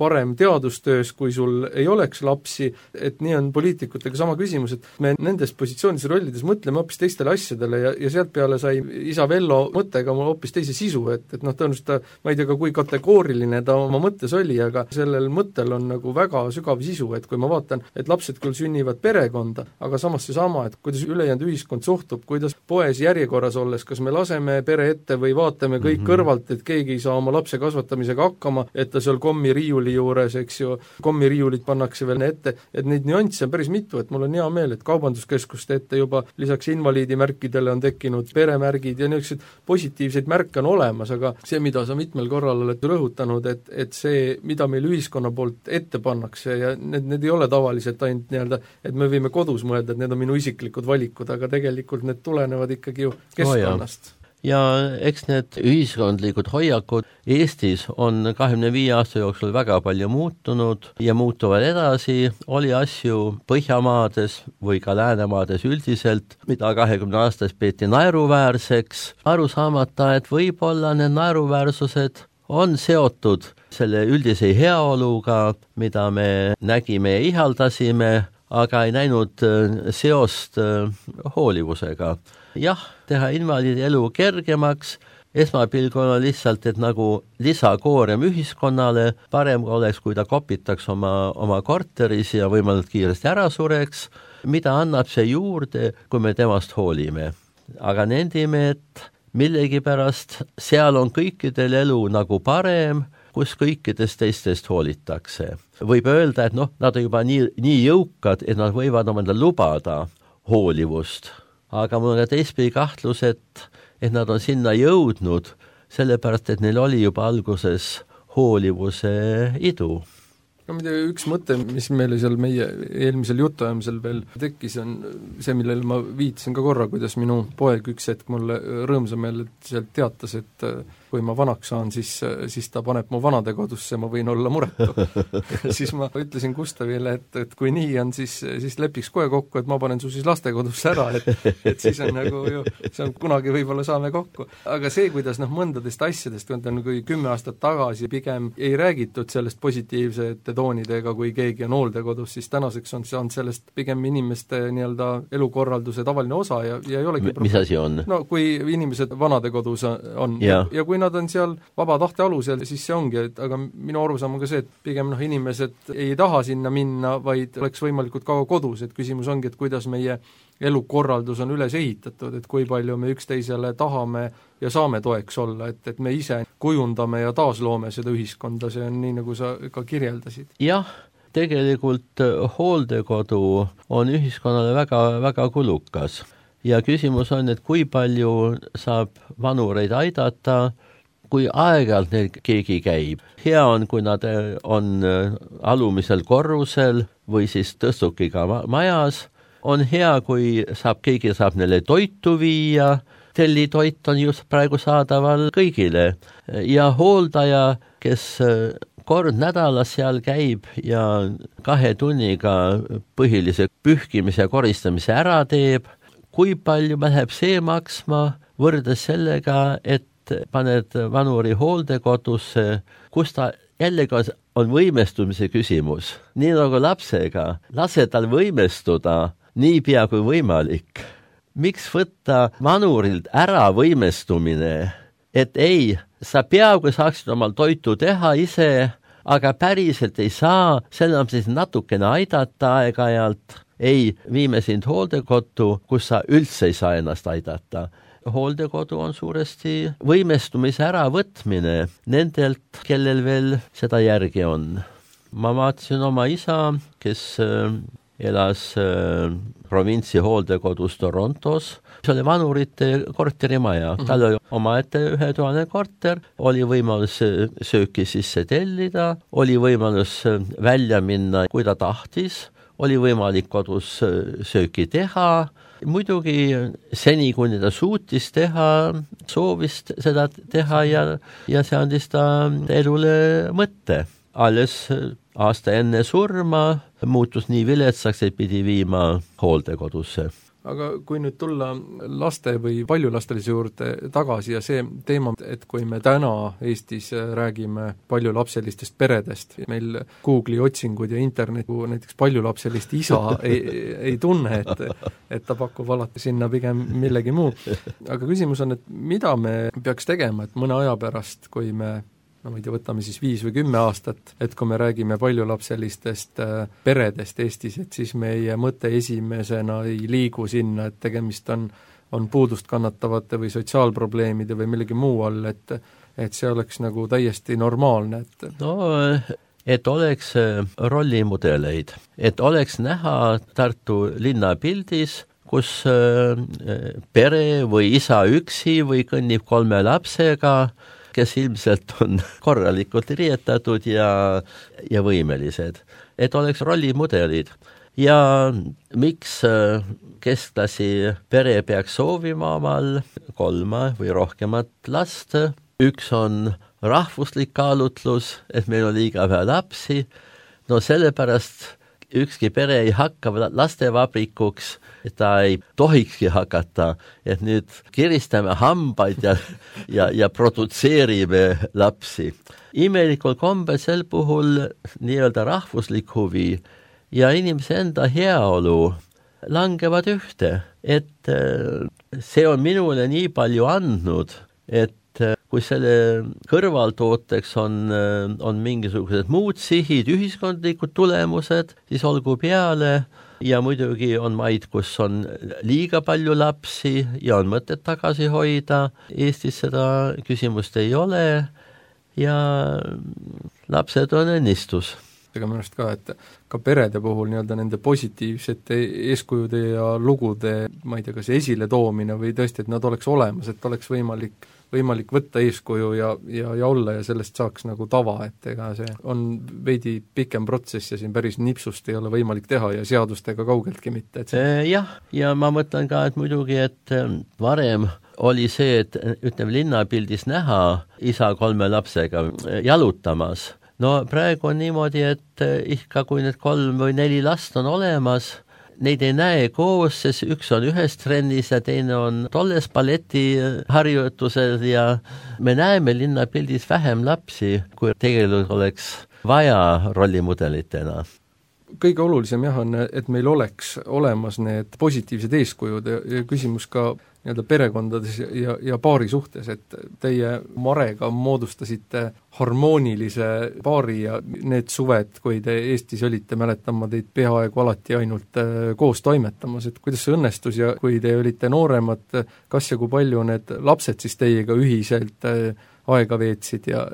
parem teadustöös, kui sul ei oleks lapsi, et nii on poliitikutega sama küsimus, et me nendes positsioonides rollides mõtleme hoopis teistele asjadele ja sealt peale sai isa Vello mõttega mul hoopis teise sisu, et tõenäoliselt ta, ma ei tea ka, kui kategooriline ta oma mõttes oli, aga sellel mõttel on nagu väga sügav sisu, et kui ma vaatan, et lapsed küll sünnivad perekonda, aga samas seesama, et kuidas ülejäänud ühiskond suhtub, kuidas poes järjekorras olles, kas me laseme pere ette või vaatame kõik kõrvalt, et keegi ei saa oma lapse kasvatamisega hakkama, et ta seal kommiriiuli juures, eks ju, kommiriiulid pannakse veel ette, et neid nüansse on päris mitu, et mul on hea meel, et kaubanduskeskuste ette juba lisaks invaliidimärkidele on tekkinud peremärgid ja niisugused positiivseid märke on olemas, aga see, mida sa mitmel korral oled rõhutanud, et see, mida meil ühiskonna poolt ette pannakse ja need ei ole tavaliselt ainult et me võime kodus mõelda, et need on minu isiklikud valikud, aga tegelikult need tulenevad ikkagi ju keskkonnast. Ja eks need ühiskondlikud hoiakud Eestis on 25 aasta jooksul väga palju muutunud ja muutuvad edasi, oli asju Põhjamaades või ka Läänemaades üldiselt, mida 20 aastas peeti naeruväärseks, aru saamata, et võib-olla need naeruväärsused on seotud selle üldise heaoluga, mida me nägime ja ihaldasime, aga ei näinud seost hoolivusega. Jah, teha invaliidi elu kergemaks, esmapilgul on lihtsalt, et nagu lisakoorem ühiskonnale, parem oleks, kui ta kopitaks oma korteris ja võimalikult kiiresti ära sureks, mida annab see juurde, kui me temast hoolime. Aga nendime, et millegipärast seal on kõikidel elu nagu parem, kus kõikidest teistest hoolitakse. Võib öelda, et nad on juba nii jõukad, et nad võivad omale lubada hoolivust. Aga mul on ka teistpidi kahtlus, et nad on sinna jõudnud, sellepärast, et neil oli juba alguses hoolivuse idu. Üks mõte, mis meile seal meie eelmisel jutuajamisel veel tekkis, on see, millele ma viitasin ka korra, kuidas minu poeg üks hetk mulle rõõmsameel sealt teatas, et kui ma vanaks saan, siis ta paneb mu vanadekodusse, ma võin olla muretu. Siis ma ütlesin Gustavile, et kui nii on, siis lepiks kohe kokku, et ma panen su siis lastekodusse ära, et siis on nagu ju, see on kunagi võib-olla saame kokku. Aga see, kuidas mõndadest asjadest, kui 10 aastat tagasi pigem ei räägitud sellest positiivsete toonidega, kui keegi on hooldekodus, siis tänaseks on sellest pigem inimeste nii-öelda elukorralduse tavaline osa ja ei olegi mis asi on? No kui inimesed vanadekodus on ja kui nad on seal vaba tahte alusel, siis see ongi, aga minu arusaam on ka see, et pigem inimesed ei taha sinna minna, vaid oleks võimalikult kaua kodus, et küsimus ongi, et kuidas meie elukorraldus on üles ehitatud, et kui palju me üksteisele tahame ja saame toeks olla, et me ise kujundame ja taasloome seda ühiskonda, see on nii, nagu sa ka kirjeldasid. Jah, tegelikult hooldekodu on ühiskonnale väga, väga kulukas. Ja küsimus on, et kui palju saab vanureid aidata, kui aeg-ajalt neil keegi käib. Hea on, kui nad on alumisel korrusel või siis tõstukiga majas. On hea, kui keegi saab neile toitu viia. Tellitoit on just praegu saadaval kõigile. Ja hooldaja, kes kord nädalas seal käib ja 2 tunniga põhilise pühkimise ja koristamise ära teeb, kui palju läheb see maksma võrdes sellega, et paned vanuri hooldekodusse, kus ta jällegi on võimestumise küsimus. Nii nagu lapsega, lase tal võimestuda nii pea kui võimalik. Miks võtta vanurilt ära võimestumine, et ei, sa peaaegu saaksid omal toitu teha ise, aga päriselt ei saa, selle on siis natukene aidata aeg-ajalt. Ei, viime sind hooldekodu, kus sa üldse ei saa ennast aidata. Hooldekodu on suuresti võimestumise äravõtmine nendelt, kellel veel seda järgi on. Ma vaatasin oma isa, kes elas provintsi hooldekodus Torontos. See oli vanurite korterimaja. Tal oli omaette 1000 korter, oli võimalus sööki sisse tellida, oli võimalus välja minna, kui ta tahtis, oli võimalik kodus sööki teha, muidugi seni, kuni ta suutis teha, soovis seda teha ja see andis ta elule mõtte. Alles aasta enne surma muutus nii viletsaks, et pidi viima hooldekodusse. Aga kui nüüd tulla laste või paljullastelise juurde tagasi ja see teema, et kui me täna Eestis räägime paljulapselistest peredest, meil Google'i otsingud ja internet näiteks paljulapselist isa ei tunne, et ta pakub alati sinna pigem millegi muu. Aga küsimus on, et mida me peaks tegema, et mõne aja pärast, kui me võtame siis 5 või 10 aastat, et kui me räägime paljulapselistest peredest Eestis, et siis meie mõte esimesena ei liigu sinna, et tegemist on puudust kannatavate või sotsiaalprobleemide või millegi muu all, et see oleks nagu täiesti normaalne. Et oleks rollimudeleid, et oleks näha Tartu linnapildis, kus pere või isa üksi või kõnnib 3 lapsega, kes ilmselt on korralikult riietatud ja võimelised. Et oleks rollimudelid. Ja miks keskklassi pere peaks soovima omal 3 või rohkemat last? Üks on rahvuslik kaalutlus, et meil on liiga vähe lapsi. No sellepärast ükski pere ei hakka lastevabrikuks, et ta ei tohikski hakata, et nüüd kiristame hambaid ja produtseerime lapsi. Imelikul kombel sel puhul nii-öelda rahvuslik huvi ja inimese enda heaolu langevad ühte, et see on minule nii palju andnud, et kui selle kõrvaltooteks on mingisugused muud sihid, ühiskondlikud tulemused, siis olgu peale ja muidugi on maid, kus on liiga palju lapsi ja on mõtet tagasi hoida. Eestis seda küsimust ei ole ja lapsed on õnnistus. Aga minu arust ka, et ka perede puhul nii-öelda nende positiivsete eeskujude ja lugude, ma ei tea, kas esile toomine või tõesti, et nad oleks olemas, et oleks võimalik võtta eeskuju ja olla ja sellest saaks nagu tava, et ega see on veidi pikem protsess ja siin päris nipsust ei ole võimalik teha ja seadustega kaugeltki mitte. Jah, ja ma mõtlen ka, et muidugi, et varem oli see, et ütleme linnapildis näha isa 3 lapsega jalutamas. No praegu on niimoodi, et ikka kui need 3 või 4 last on olemas, neid ei näe koos, sest üks on ühes trennis ja teine on tolles balletiharjutusel ja me näeme linnapildis vähem lapsi, kui tegelikult oleks vaja rollimudelitena. Kõige olulisem jah on, et meil oleks olemas need positiivsed eeskujud ja küsimus ka nii-öelda perekondades ja paari suhtes, et teie Marega moodustasite harmoonilise paari ja need suved, kui te Eestis olite, mäletan ma teid peaaegu alati ainult koos toimetamas, et kuidas see õnnestus ja kui te olite nooremad, kas ja kui palju need lapsed siis teiega ühiselt aega veetsid ja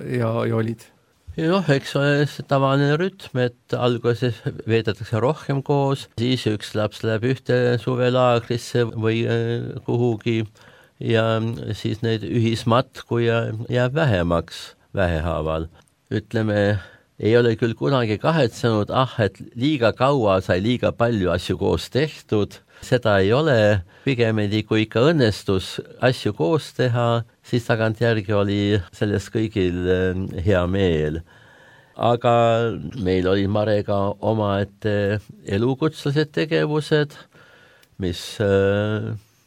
olid? Noh, eks ole see tavaline rütm, et alguses veedetakse rohkem koos, siis üks laps läheb ühte suvelaagrisse või kuhugi ja siis neid ühismatku jääb vähemaks vähehaaval. Ütleme, ei ole küll kunagi kahetsenud, et liiga kaua sai liiga palju asju koos tehtud, seda ei ole, pigemini kui ikka õnnestus asju koos teha, siis tagantjärgi oli sellest kõigil hea meel. Aga meil oli Marega omaette elukutslased tegevused, mis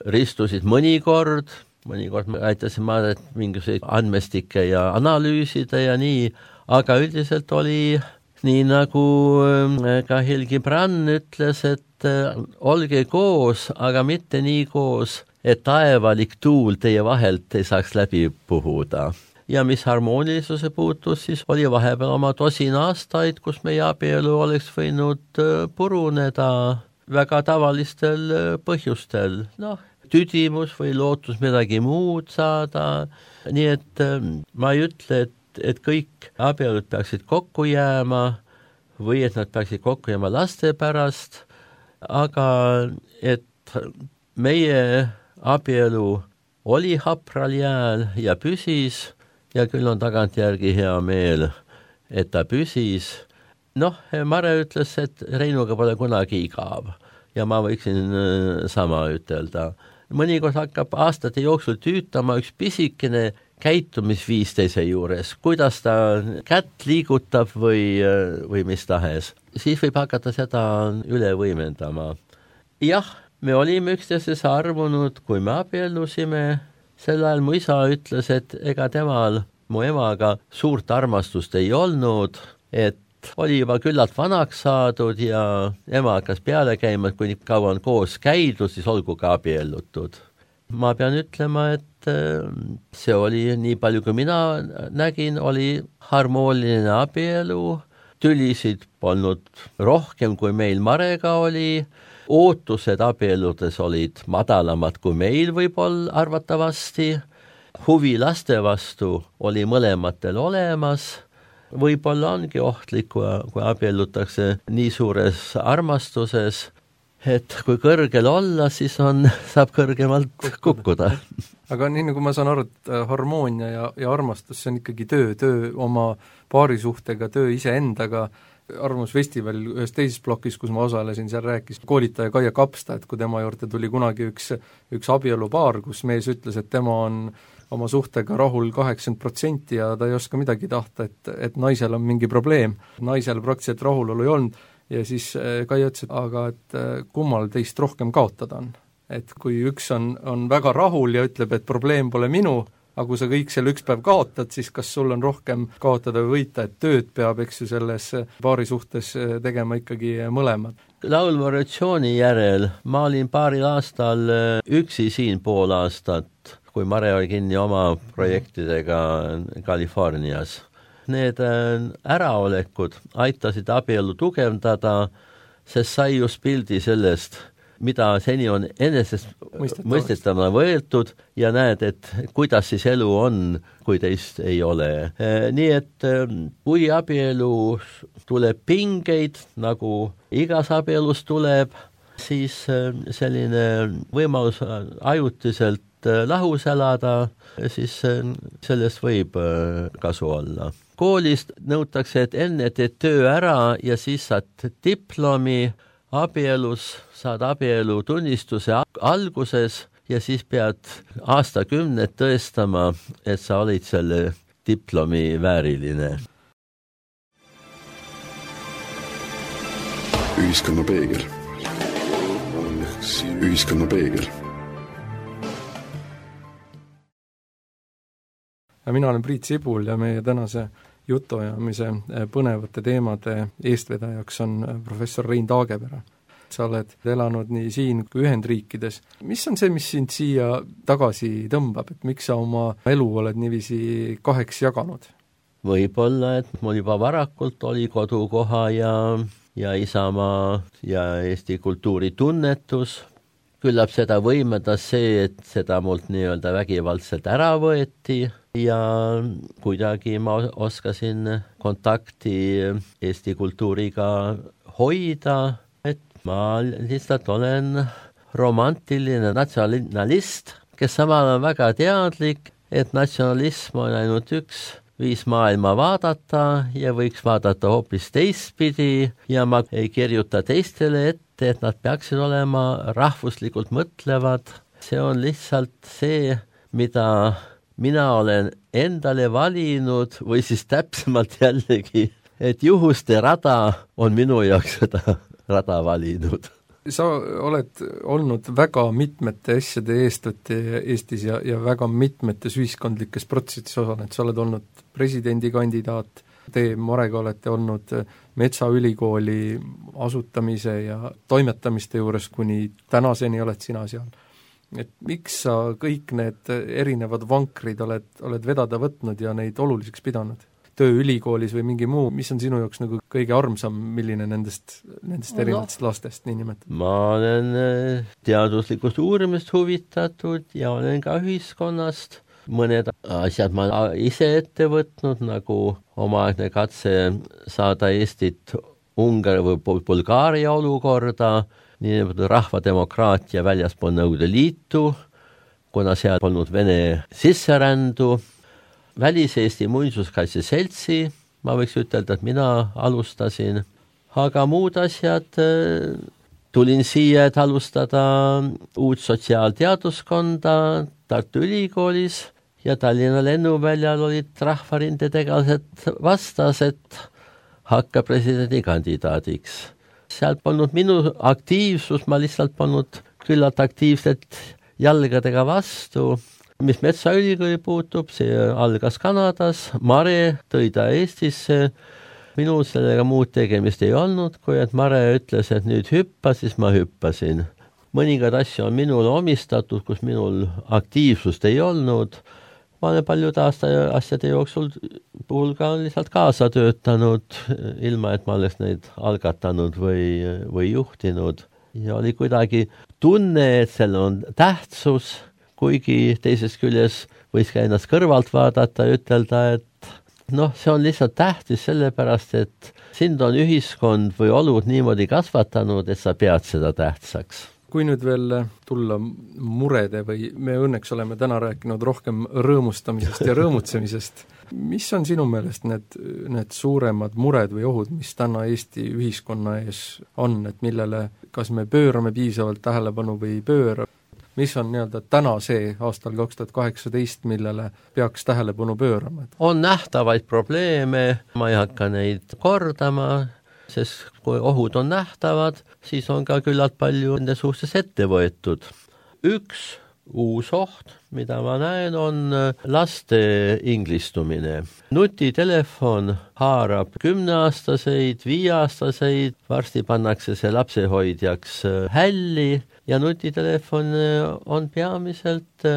ristusid mõnikord me aitasime Maret mingisuguseid andmestikke ja analüüsida ja nii, aga üldiselt oli nii nagu ka Helgi Brann ütles, et olge koos, aga mitte nii koos, et taevalik tuul teie vahelt ei saaks läbi puhuda. Ja mis harmoonilisuse puutus, siis oli vahepeal oma 10 aastaid, kus meie abielu oleks võinud puruneda väga tavalistel põhjustel. Noh, tüdimus või lootus midagi muud saada. Nii et ma ei ütle, et kõik abielud peaksid kokku jääma või et nad peaksid kokku jääma laste pärast, aga et meie abielu oli hapral jääl ja püsis ja küll on tagantjärgi hea meel, et ta püsis. Noh, Mare ütles, et Reinuga pole kunagi igav ja ma võiksin sama ütelda. Mõnikord hakkab aastate jooksul tüütama üks pisikene käitumisviis teise juures, kuidas ta kätt liigutab või mis tahes. Siis võib hakata seda üle võimendama. Jah, me olime üksteisest armunud, kui me abiellusime. Sel ajal mu isa ütles, et ega temal mu emaga suurt armastust ei olnud, et oli juba küllalt vanaks saadud ja ema hakkas peale käima, et kui nii kaua on koos käidud, siis olgu ka abiellutud. Ma pean ütlema, et see oli nii palju, kui mina nägin, oli harmooniline abielu, tülisid polnud rohkem, kui meil Marega oli, ootused abieludes olid madalamad kui meil võib-olla arvatavasti, huvi laste vastu oli mõlematel olemas, võib-olla ongi ohtlik, kui abiellutakse nii suures armastuses, et kui kõrgel olla, siis saab kõrgemalt kukkuda. Aga nii nagu ma saan aru, et harmoonia ja armastus, see on ikkagi töö oma paarisuhtega, töö iseendaga. Arvamusfestival ühes teises plokis, kus ma osalesin, seal rääkis koolitaja Kaia Kapsta, et kui tema juurde tuli kunagi üks abielupaar, kus mees ütles, et tema on oma suhtega rahul 80% ja ta ei oska midagi tahta, et naisel on mingi probleem. Naisel praktiliselt rahulolu ei olnud ja siis Kaia ütles, et kummal teist rohkem kaotada on. Et kui üks on väga rahul ja ütleb, et probleem pole minu, aga kui sa kõik selle üks päev kaotad, siis kas sul on rohkem kaotada või võita, et tööd peab, eks ju, selles paari suhtes tegema ikkagi mõlemad. Laulva revolutsiooni järel ma olin paaril aastal üksi siin pool aastat, kui Mare oli kinni oma projektidega Californias. Need äraolekud aitasid abielu tugevdada, sest sai just pildi sellest, mida seni on enesest mõistetavana võetud ja näed, et kuidas siis elu on, kui teist ei ole. Nii et kui abielu tuleb pingeid, nagu igas abielus tuleb, siis selline võimalus ajutiselt lahus elada, siis sellest võib kasu olla. Koolist nõutakse, et enne teed töö ära ja siis saad diplomi, abielus saad abielu tunnistuse alguses ja siis pead aastakümned tõestama, et sa olid selle diplomi vääriline. Ühiskonna peegel. Ühiskonna peegel. Ja mina olen Priit Sibul ja meie tänase jutuajamise põnevate teemade eestvedajaks on professor Rein Taagepera. Sa oled elanud nii siin kui Ühendriikides. Mis on see, mis sind siia tagasi tõmbab, et miks sa oma elu oled niiviisi kaheks jaganud? Võib-olla, et mul juba varakult oli kodukoha ja isamaa ja Eesti kultuuri tunnetus. Küllap seda võimendas see, et seda mult nii-öelda vägivaldselt ära võeti ja kuidagi ma oskasin kontakti Eesti kultuuriga hoida, et ma lihtsalt olen romantiline natsionalist, kes samal on väga teadlik, et natsionalism on ainult üks viis maailma vaadata ja võiks vaadata hoopis teistpidi ja ma ei kirjuta teistele ette, et nad peaksid olema rahvuslikult mõtlevad. See on lihtsalt see, mida mina olen endale valinud või siis täpsemalt jällegi, et juhuste rada on minu jaoks seda rada valinud. Sa oled olnud väga mitmete asjade eestvõtja Eestis ja väga mitmetes ühiskondlikes protsessis osalenud. Sa oled olnud presidendikandidaat, te Marega olete olnud Metsaülikooli asutamise ja toimetamiste juures, kuni tänaseni oled sina seal. Et miks sa kõik need erinevad vankrid oled vedada võtnud ja neid oluliseks pidanud? Töö ülikoolis või mingi muu, mis on sinu jaoks nagu kõige armsam, milline nendest erinevatest lastest nii nimetada? Ma olen teaduslikust uurimist huvitatud ja olen ka ühiskonnast. Mõned asjad ma ise ette võtnud, nagu omaaegne katse saada Eestit Ungari või Bulgaaria olukorda, nii nagu rahvademokraatia väljaspool Nõukogude Liitu, kuna seal polnud Vene sisserändu. Välis-Eesti muinsuskaitse seltsi, ma võiks ütelda, et mina alustasin, aga muud asjad, tulin siia, et alustada uut sotsiaalteaduskonda Tartu Ülikoolis ja Tallinna lennuväljal olid rahvarindetegelased vastas, et hakka presidendikandidaadiks. Seal polnud minu aktiivsus, ma lihtsalt polnud küllalt aktiivselt jalgadega vastu. Mis Metsaülikooli puutub, see algas Kanadas, Mare tõi ta Eestisse, minul sellega muud tegemist ei olnud, kui et Mare ütles, et nüüd hüppa, siis ma hüppasin. Mõningad asju on minul omistatud, kus minul aktiivsust ei olnud. Ma olen paljud asjade jooksul puhul ka lihtsalt kaasa töötanud, ilma et ma oleks neid algatanud või juhtinud. Ja oli kuidagi tunne, et seal on tähtsus, kuigi teisest küljes võis ka ennast kõrvalt vaadata ja ütelda, et see on lihtsalt tähtis sellepärast, et sind on ühiskond või olud niimoodi kasvatanud, et sa pead seda tähtsaks. Kui nüüd veel tulla murede või me õnneks oleme täna rääkinud rohkem rõõmustamisest ja rõõmutsemisest, mis on sinu meelest need suuremad mured või ohud, mis täna Eesti ühiskonna ees on, et millele kas me pöörame piisavalt tähelepanu või ei pööra? Mis on täna see aastal 2018, millele peaks tähelepanu pöörama? On nähtavaid probleeme, ma ei hakka neid kordama, sest kui ohud on nähtavad, siis on ka küllalt palju nende suhtes ette võetud. Üks uus oht, mida ma näen, on laste inglistumine. Nutitelefon haarab 10-aastaseid, 5-aastaseid, varsti pannakse see lapsehoidjaks hälli ja nutitelefon on peamiselt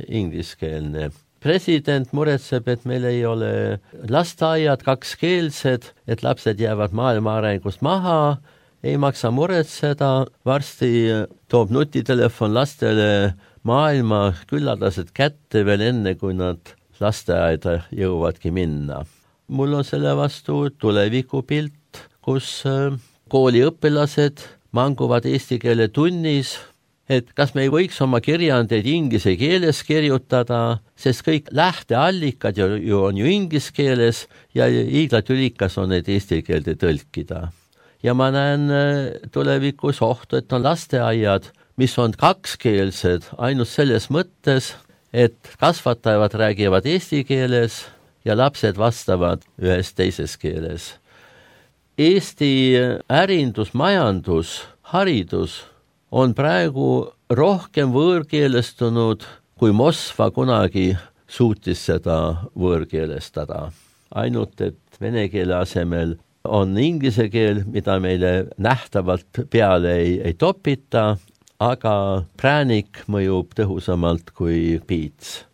ingliskeelne. President muretseb, et meil ei ole lasteaiad kakskeelsed, et lapsed jäävad maailma arengust maha, ei maksa muretseda, varsti toob nutitelefon lastele maailma külladlased kätte veel enne, kui nad lasteaeda jõuavadki minna. Mul on selle vastu tulevikupilt, kus kooliõpilased manguvad eesti keele tunnis, et kas me ei võiks oma kirjandeid inglise keeles kirjutada, sest kõik lähteallikad on ju inglise keeles ja hiiglatülikas on need eesti keelde tõlkida. Ja ma näen tulevikus ohtu, et on lasteaiad, mis on kakskeelsed ainult selles mõttes, et kasvatajad räägivad eesti keeles ja lapsed vastavad ühes teises keeles. Eesti ärindus, majandus, haridus on praegu rohkem võõrkeelestunud, kui Moskva kunagi suutis seda võõrkeelestada. Ainult, et vene keele asemel on inglise keel, mida meile nähtavalt peale ei topita, aga präänik mõjub tõhusamalt kui piits.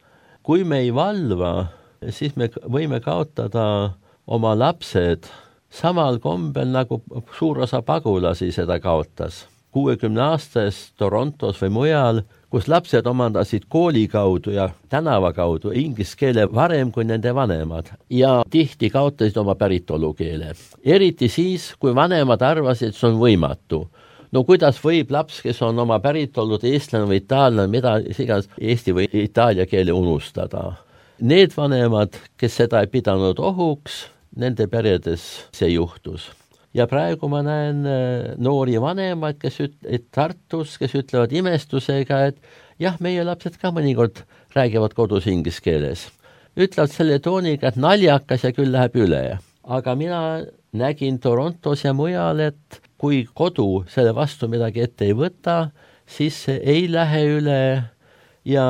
Kui me ei valva, siis me võime kaotada oma lapsed samal kombel, nagu suur osa pagulasi seda kaotas. 60-aastas Torontos või mujal, kus lapsed omandasid kooli kaudu ja tänava kaudu inglise keele varem kui nende vanemad ja tihti kaotasid oma päritolukeele. Eriti siis, kui vanemad arvasid, et see on võimatu. No kuidas võib laps, kes on oma päritolud eestlane või itaallane, mida iganes eesti või itaalia keele unustada? Need vanemad, kes seda ei pidanud ohuks, nende peredes see juhtus. Ja praegu ma näen noori vanemaid, kes Tartus, kes ütlevad imestusega, et jah, meie lapsed ka mõnikord räägivad kodus inglise keeles. Ütlevad selle tooniga, et naljakas ja küll läheb üle. Aga mina nägin Torontos ja mujal, et kui kodu selle vastu midagi ette ei võta, siis see ei lähe üle ja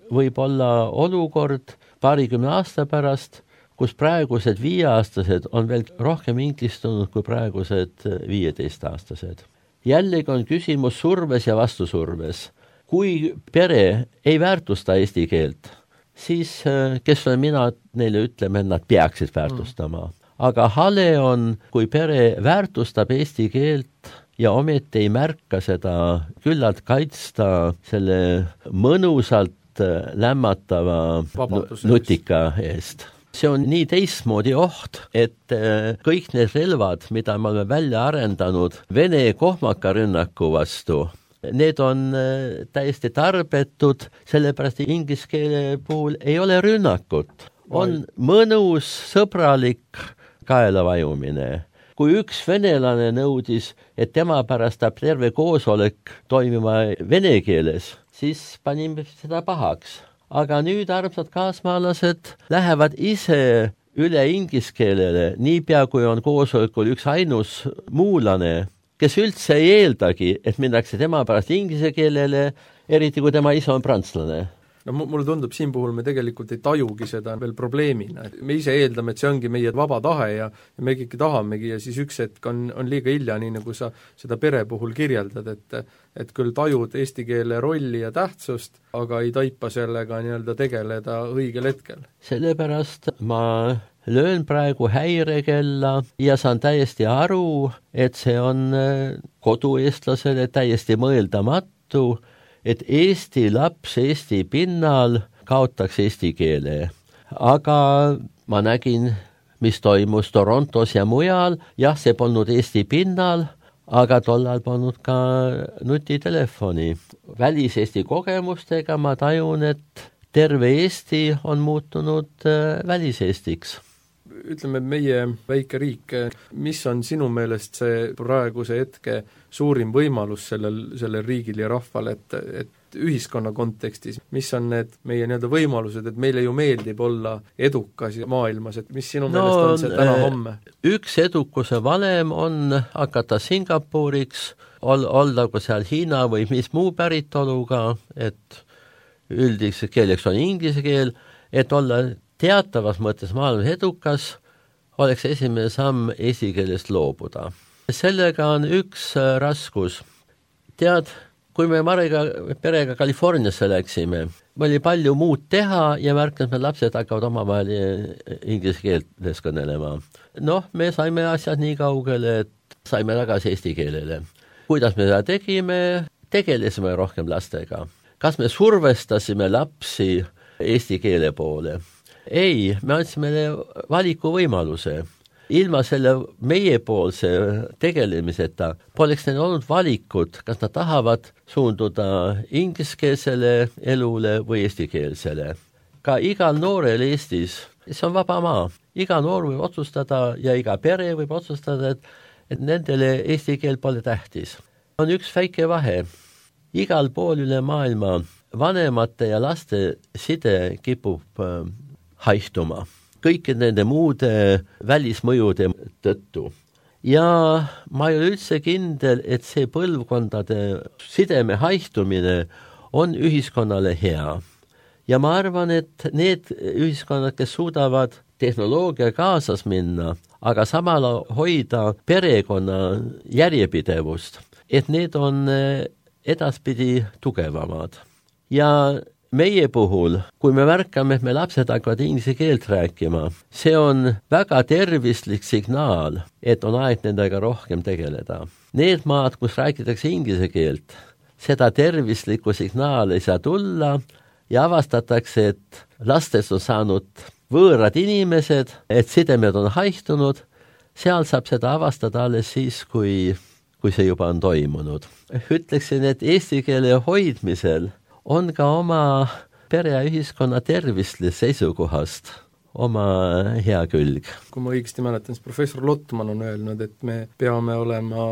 võib olla olukord 20 aasta pärast, kus praegused 5-aastased on veel rohkem inglistunud kui praegused 15-aastased. Jällegi on küsimus surves ja vastusurves. Kui pere ei väärtusta eesti keelt, siis kes olen mina neile ütleme, et nad peaksid väärtustama. Aga hale on, kui pere väärtustab eesti keelt ja ometi ei märka seda küllalt kaitsta selle mõnusalt lämmatava nutika eest. See on nii teistmoodi oht, et kõik need relvad, mida me oleme välja arendanud Vene kohmakarünnaku vastu, need on täiesti tarbetud, sellepärast inglise keele puhul ei ole rünnakut. On mõnus, sõbralik kaelavajumine. Kui üks venelane nõudis, et tema pärast tahab terve koosolek toimima vene keeles, siis panime seda pahaks. Aga nüüd armsad kaasmaalased lähevad ise üle inglise keelele, niipea kui on koosolekul üks ainus muulane, kes üldse ei eeldagi, et minnakse tema pärast inglise keelele, eriti kui tema ise on prantslane. No mulle tundub, siin puhul me tegelikult ei tajugi seda veel probleemina. Me ise eeldame, et see ongi meie vaba tahe ja me kõik tahamegi ja siis üks hetk on liiga hilja, nii nagu sa seda pere puhul kirjeldad, et küll tajud eesti keele rolli ja tähtsust, aga ei taipa sellega nii-öelda tegeleda õigel hetkel. Sellepärast ma löön praegu häirekella ja saan täiesti aru, et see on kodueestlasele täiesti mõeldamatu, et Eesti laps Eesti pinnal kaotaks eesti keele. Aga ma nägin, mis toimus Torontos ja mujal, jah, see polnud Eesti pinnal, aga tollal polnud ka nutitelefoni. Välis-Eesti kogemustega ma tajun, et terve Eesti on muutunud välis-Eestiks. Ütleme, meie väike riik, mis on sinu meelest see praeguse hetke suurim võimalus sellel riigil ja rahval, et ühiskonna kontekstis, mis on need meie nii-öelda võimalused, et meile ju meeldib olla edukas maailmas, et mis sinu meelest on see täna-homme? Üks edukuse valem on hakata Singapuriks, olla kui seal Hiina või mis muu päritoluga, et üldiseks keeleks on inglise keel, et olla teatavas mõttes maailmas edukas, oleks esimene samm eesti keelest loobuda. Sellega on üks raskus. Tead, kui me Marega perega Californiasse läksime, oli palju muud teha ja märkas, et lapsed hakkavad omavahel inglise keeles kõnelema. Me saime asjad nii kaugele, et saime tagasi eesti keelele. Kuidas me seda tegime? Tegelesime rohkem lastega. Kas me survestasime lapsi eesti keele poole? Ei, me andsime valikuvõimaluse. Ilma selle meiepoolse tegelemiseta poleks neil olnud valikut, kas nad tahavad suunduda ingliskeelsele elule või eestikeelsele. Ka igal noorel Eestis, see on vaba maa, iga noor võib otsustada ja iga pere võib otsustada, et nendele eesti keel pole tähtis. On üks väike vahe. igal pool üle maailma vanemate ja laste side kipub haihtuma kõikide nende muude välismõjude tõttu. Ja ma ei ole üldse kindel, et see põlvkondade sideme haihtumine on ühiskonnale hea. Ja ma arvan, et need ühiskonnad, kes suudavad tehnoloogia kaasas minna, aga samal hoida perekonna järjepidevust, et need on edaspidi tugevamad. Ja meie puhul, kui me märkame, et me lapsed hakkavad inglise keelt rääkima, see on väga tervislik signaal, et on aeg nendega rohkem tegeleda. Need maad, kus räägitakse inglise keelt, seda tervislikku signaali ei saa tulla ja avastatakse, et lastest on saanud võõrad inimesed, et sidemed on haihtunud, seal saab seda avastada alles siis, kui see juba on toimunud. Ütleksin, et eesti keele hoidmisel on ka oma pere ja ühiskonna tervisli seisukohast oma hea külg. Kui ma õigesti mäletan, siis professor Lotman on öelnud, et me peame olema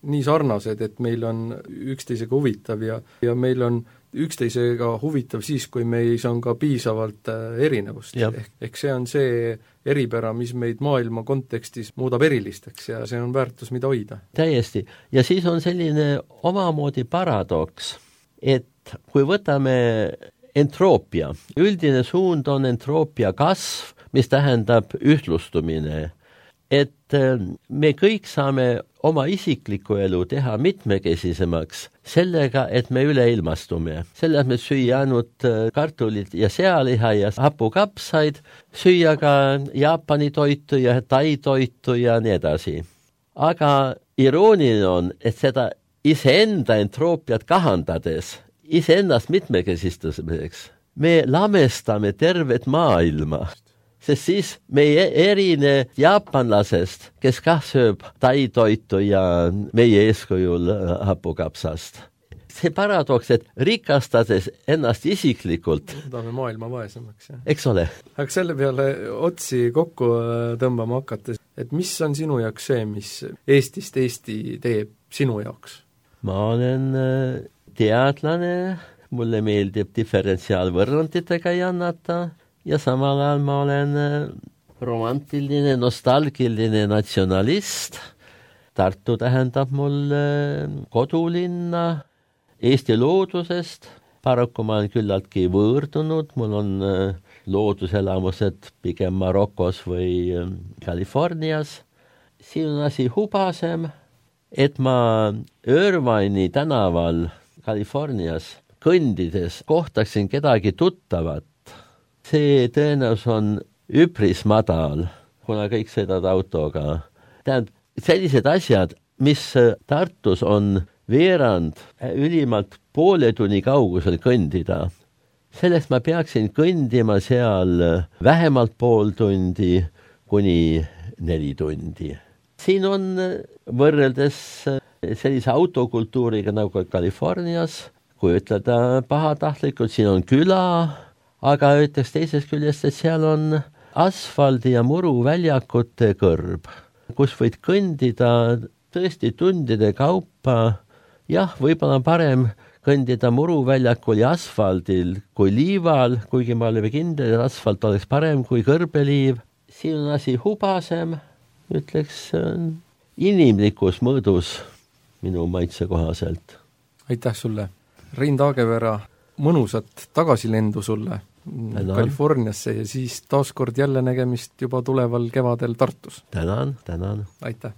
nii sarnased, et meil on üksteisega huvitav ja meil on üksteisega huvitav siis, kui meis on ka piisavalt erinevust. Ehk see on see eripära, mis meid maailma kontekstis muudab erilisteks ja see on väärtus, mida hoida. Täiesti. Ja siis on selline omamoodi paradoks, et kui võtame entroopia, üldine suund on entroopia kasv, mis tähendab ühtlustumine, et me kõik saame oma isiklikku elu teha mitmekesisemaks sellega, et me üleilmastume. Selle, et me süüa ainult kartulit ja sealiha ja hapukapsaid, süüa ka Jaapani toitu ja Tai toitu ja nii edasi. Aga irooniline on, et seda iseenda entroopiat kahandades, iseennast mitmekesistamiseks, me lamestame tervet maailma, sest siis me ei erine jaapanlasest, kes kah sööb Tai toitu ja meie eeskujul hapukapsast. See paradoks, et rikastades ennast isiklikult muudame maailma vaesemaks. Eks ole. Aga selle peale otsi kokku tõmbama hakates, et mis on sinu jaoks see, mis Eestist Eesti teeb sinu jaoks? Ma olen teadlane, mulle meeldib diferentsiaalvõrranditega jannata ja samal ajal ma olen romantiline, nostalgiline natsionalist. Tartu tähendab mulle kodulinna Eesti loodusest. Paraku ma olen küllaltki võõrdunud, mul on looduselamused pigem Marokos või Californias. Siin on asi hubasem, et ma Irvine'i tänaval Californias kõndides kohtaksin kedagi tuttavat. See tõenäosus on üpris madal, kuna kõik sõidavad autoga. Tähendab, sellised asjad, mis Tartus on veerand ülimalt poole tunni kaugusel kõndida. Sellest ma peaksin kõndima seal vähemalt pool tundi kuni 4 tundi. Siin on võrreldes sellise autokultuuriga nagu Californias, kui ütleda pahatahtlikult, siin on küla, aga ütleks teisest küljest, et seal on asfaldi ja muru väljakute kõrb, kus võid kõndida tõesti tundide kaupa. Jah, võib-olla parem kõndida muruväljakul ja asfaldil kui liival, kuigi ma olen kindel, et asfalt oleks parem kui kõrbeliiv. Siin on asi hubasem, ütleks inimlikus mõõdus minu maitse kohaselt. Aitäh sulle! Rein Taagepera, mõnusat tagasilendu sulle Californiasse ja siis taaskord jälle nägemist juba tuleval kevadel Tartus. Tänan. Aitäh!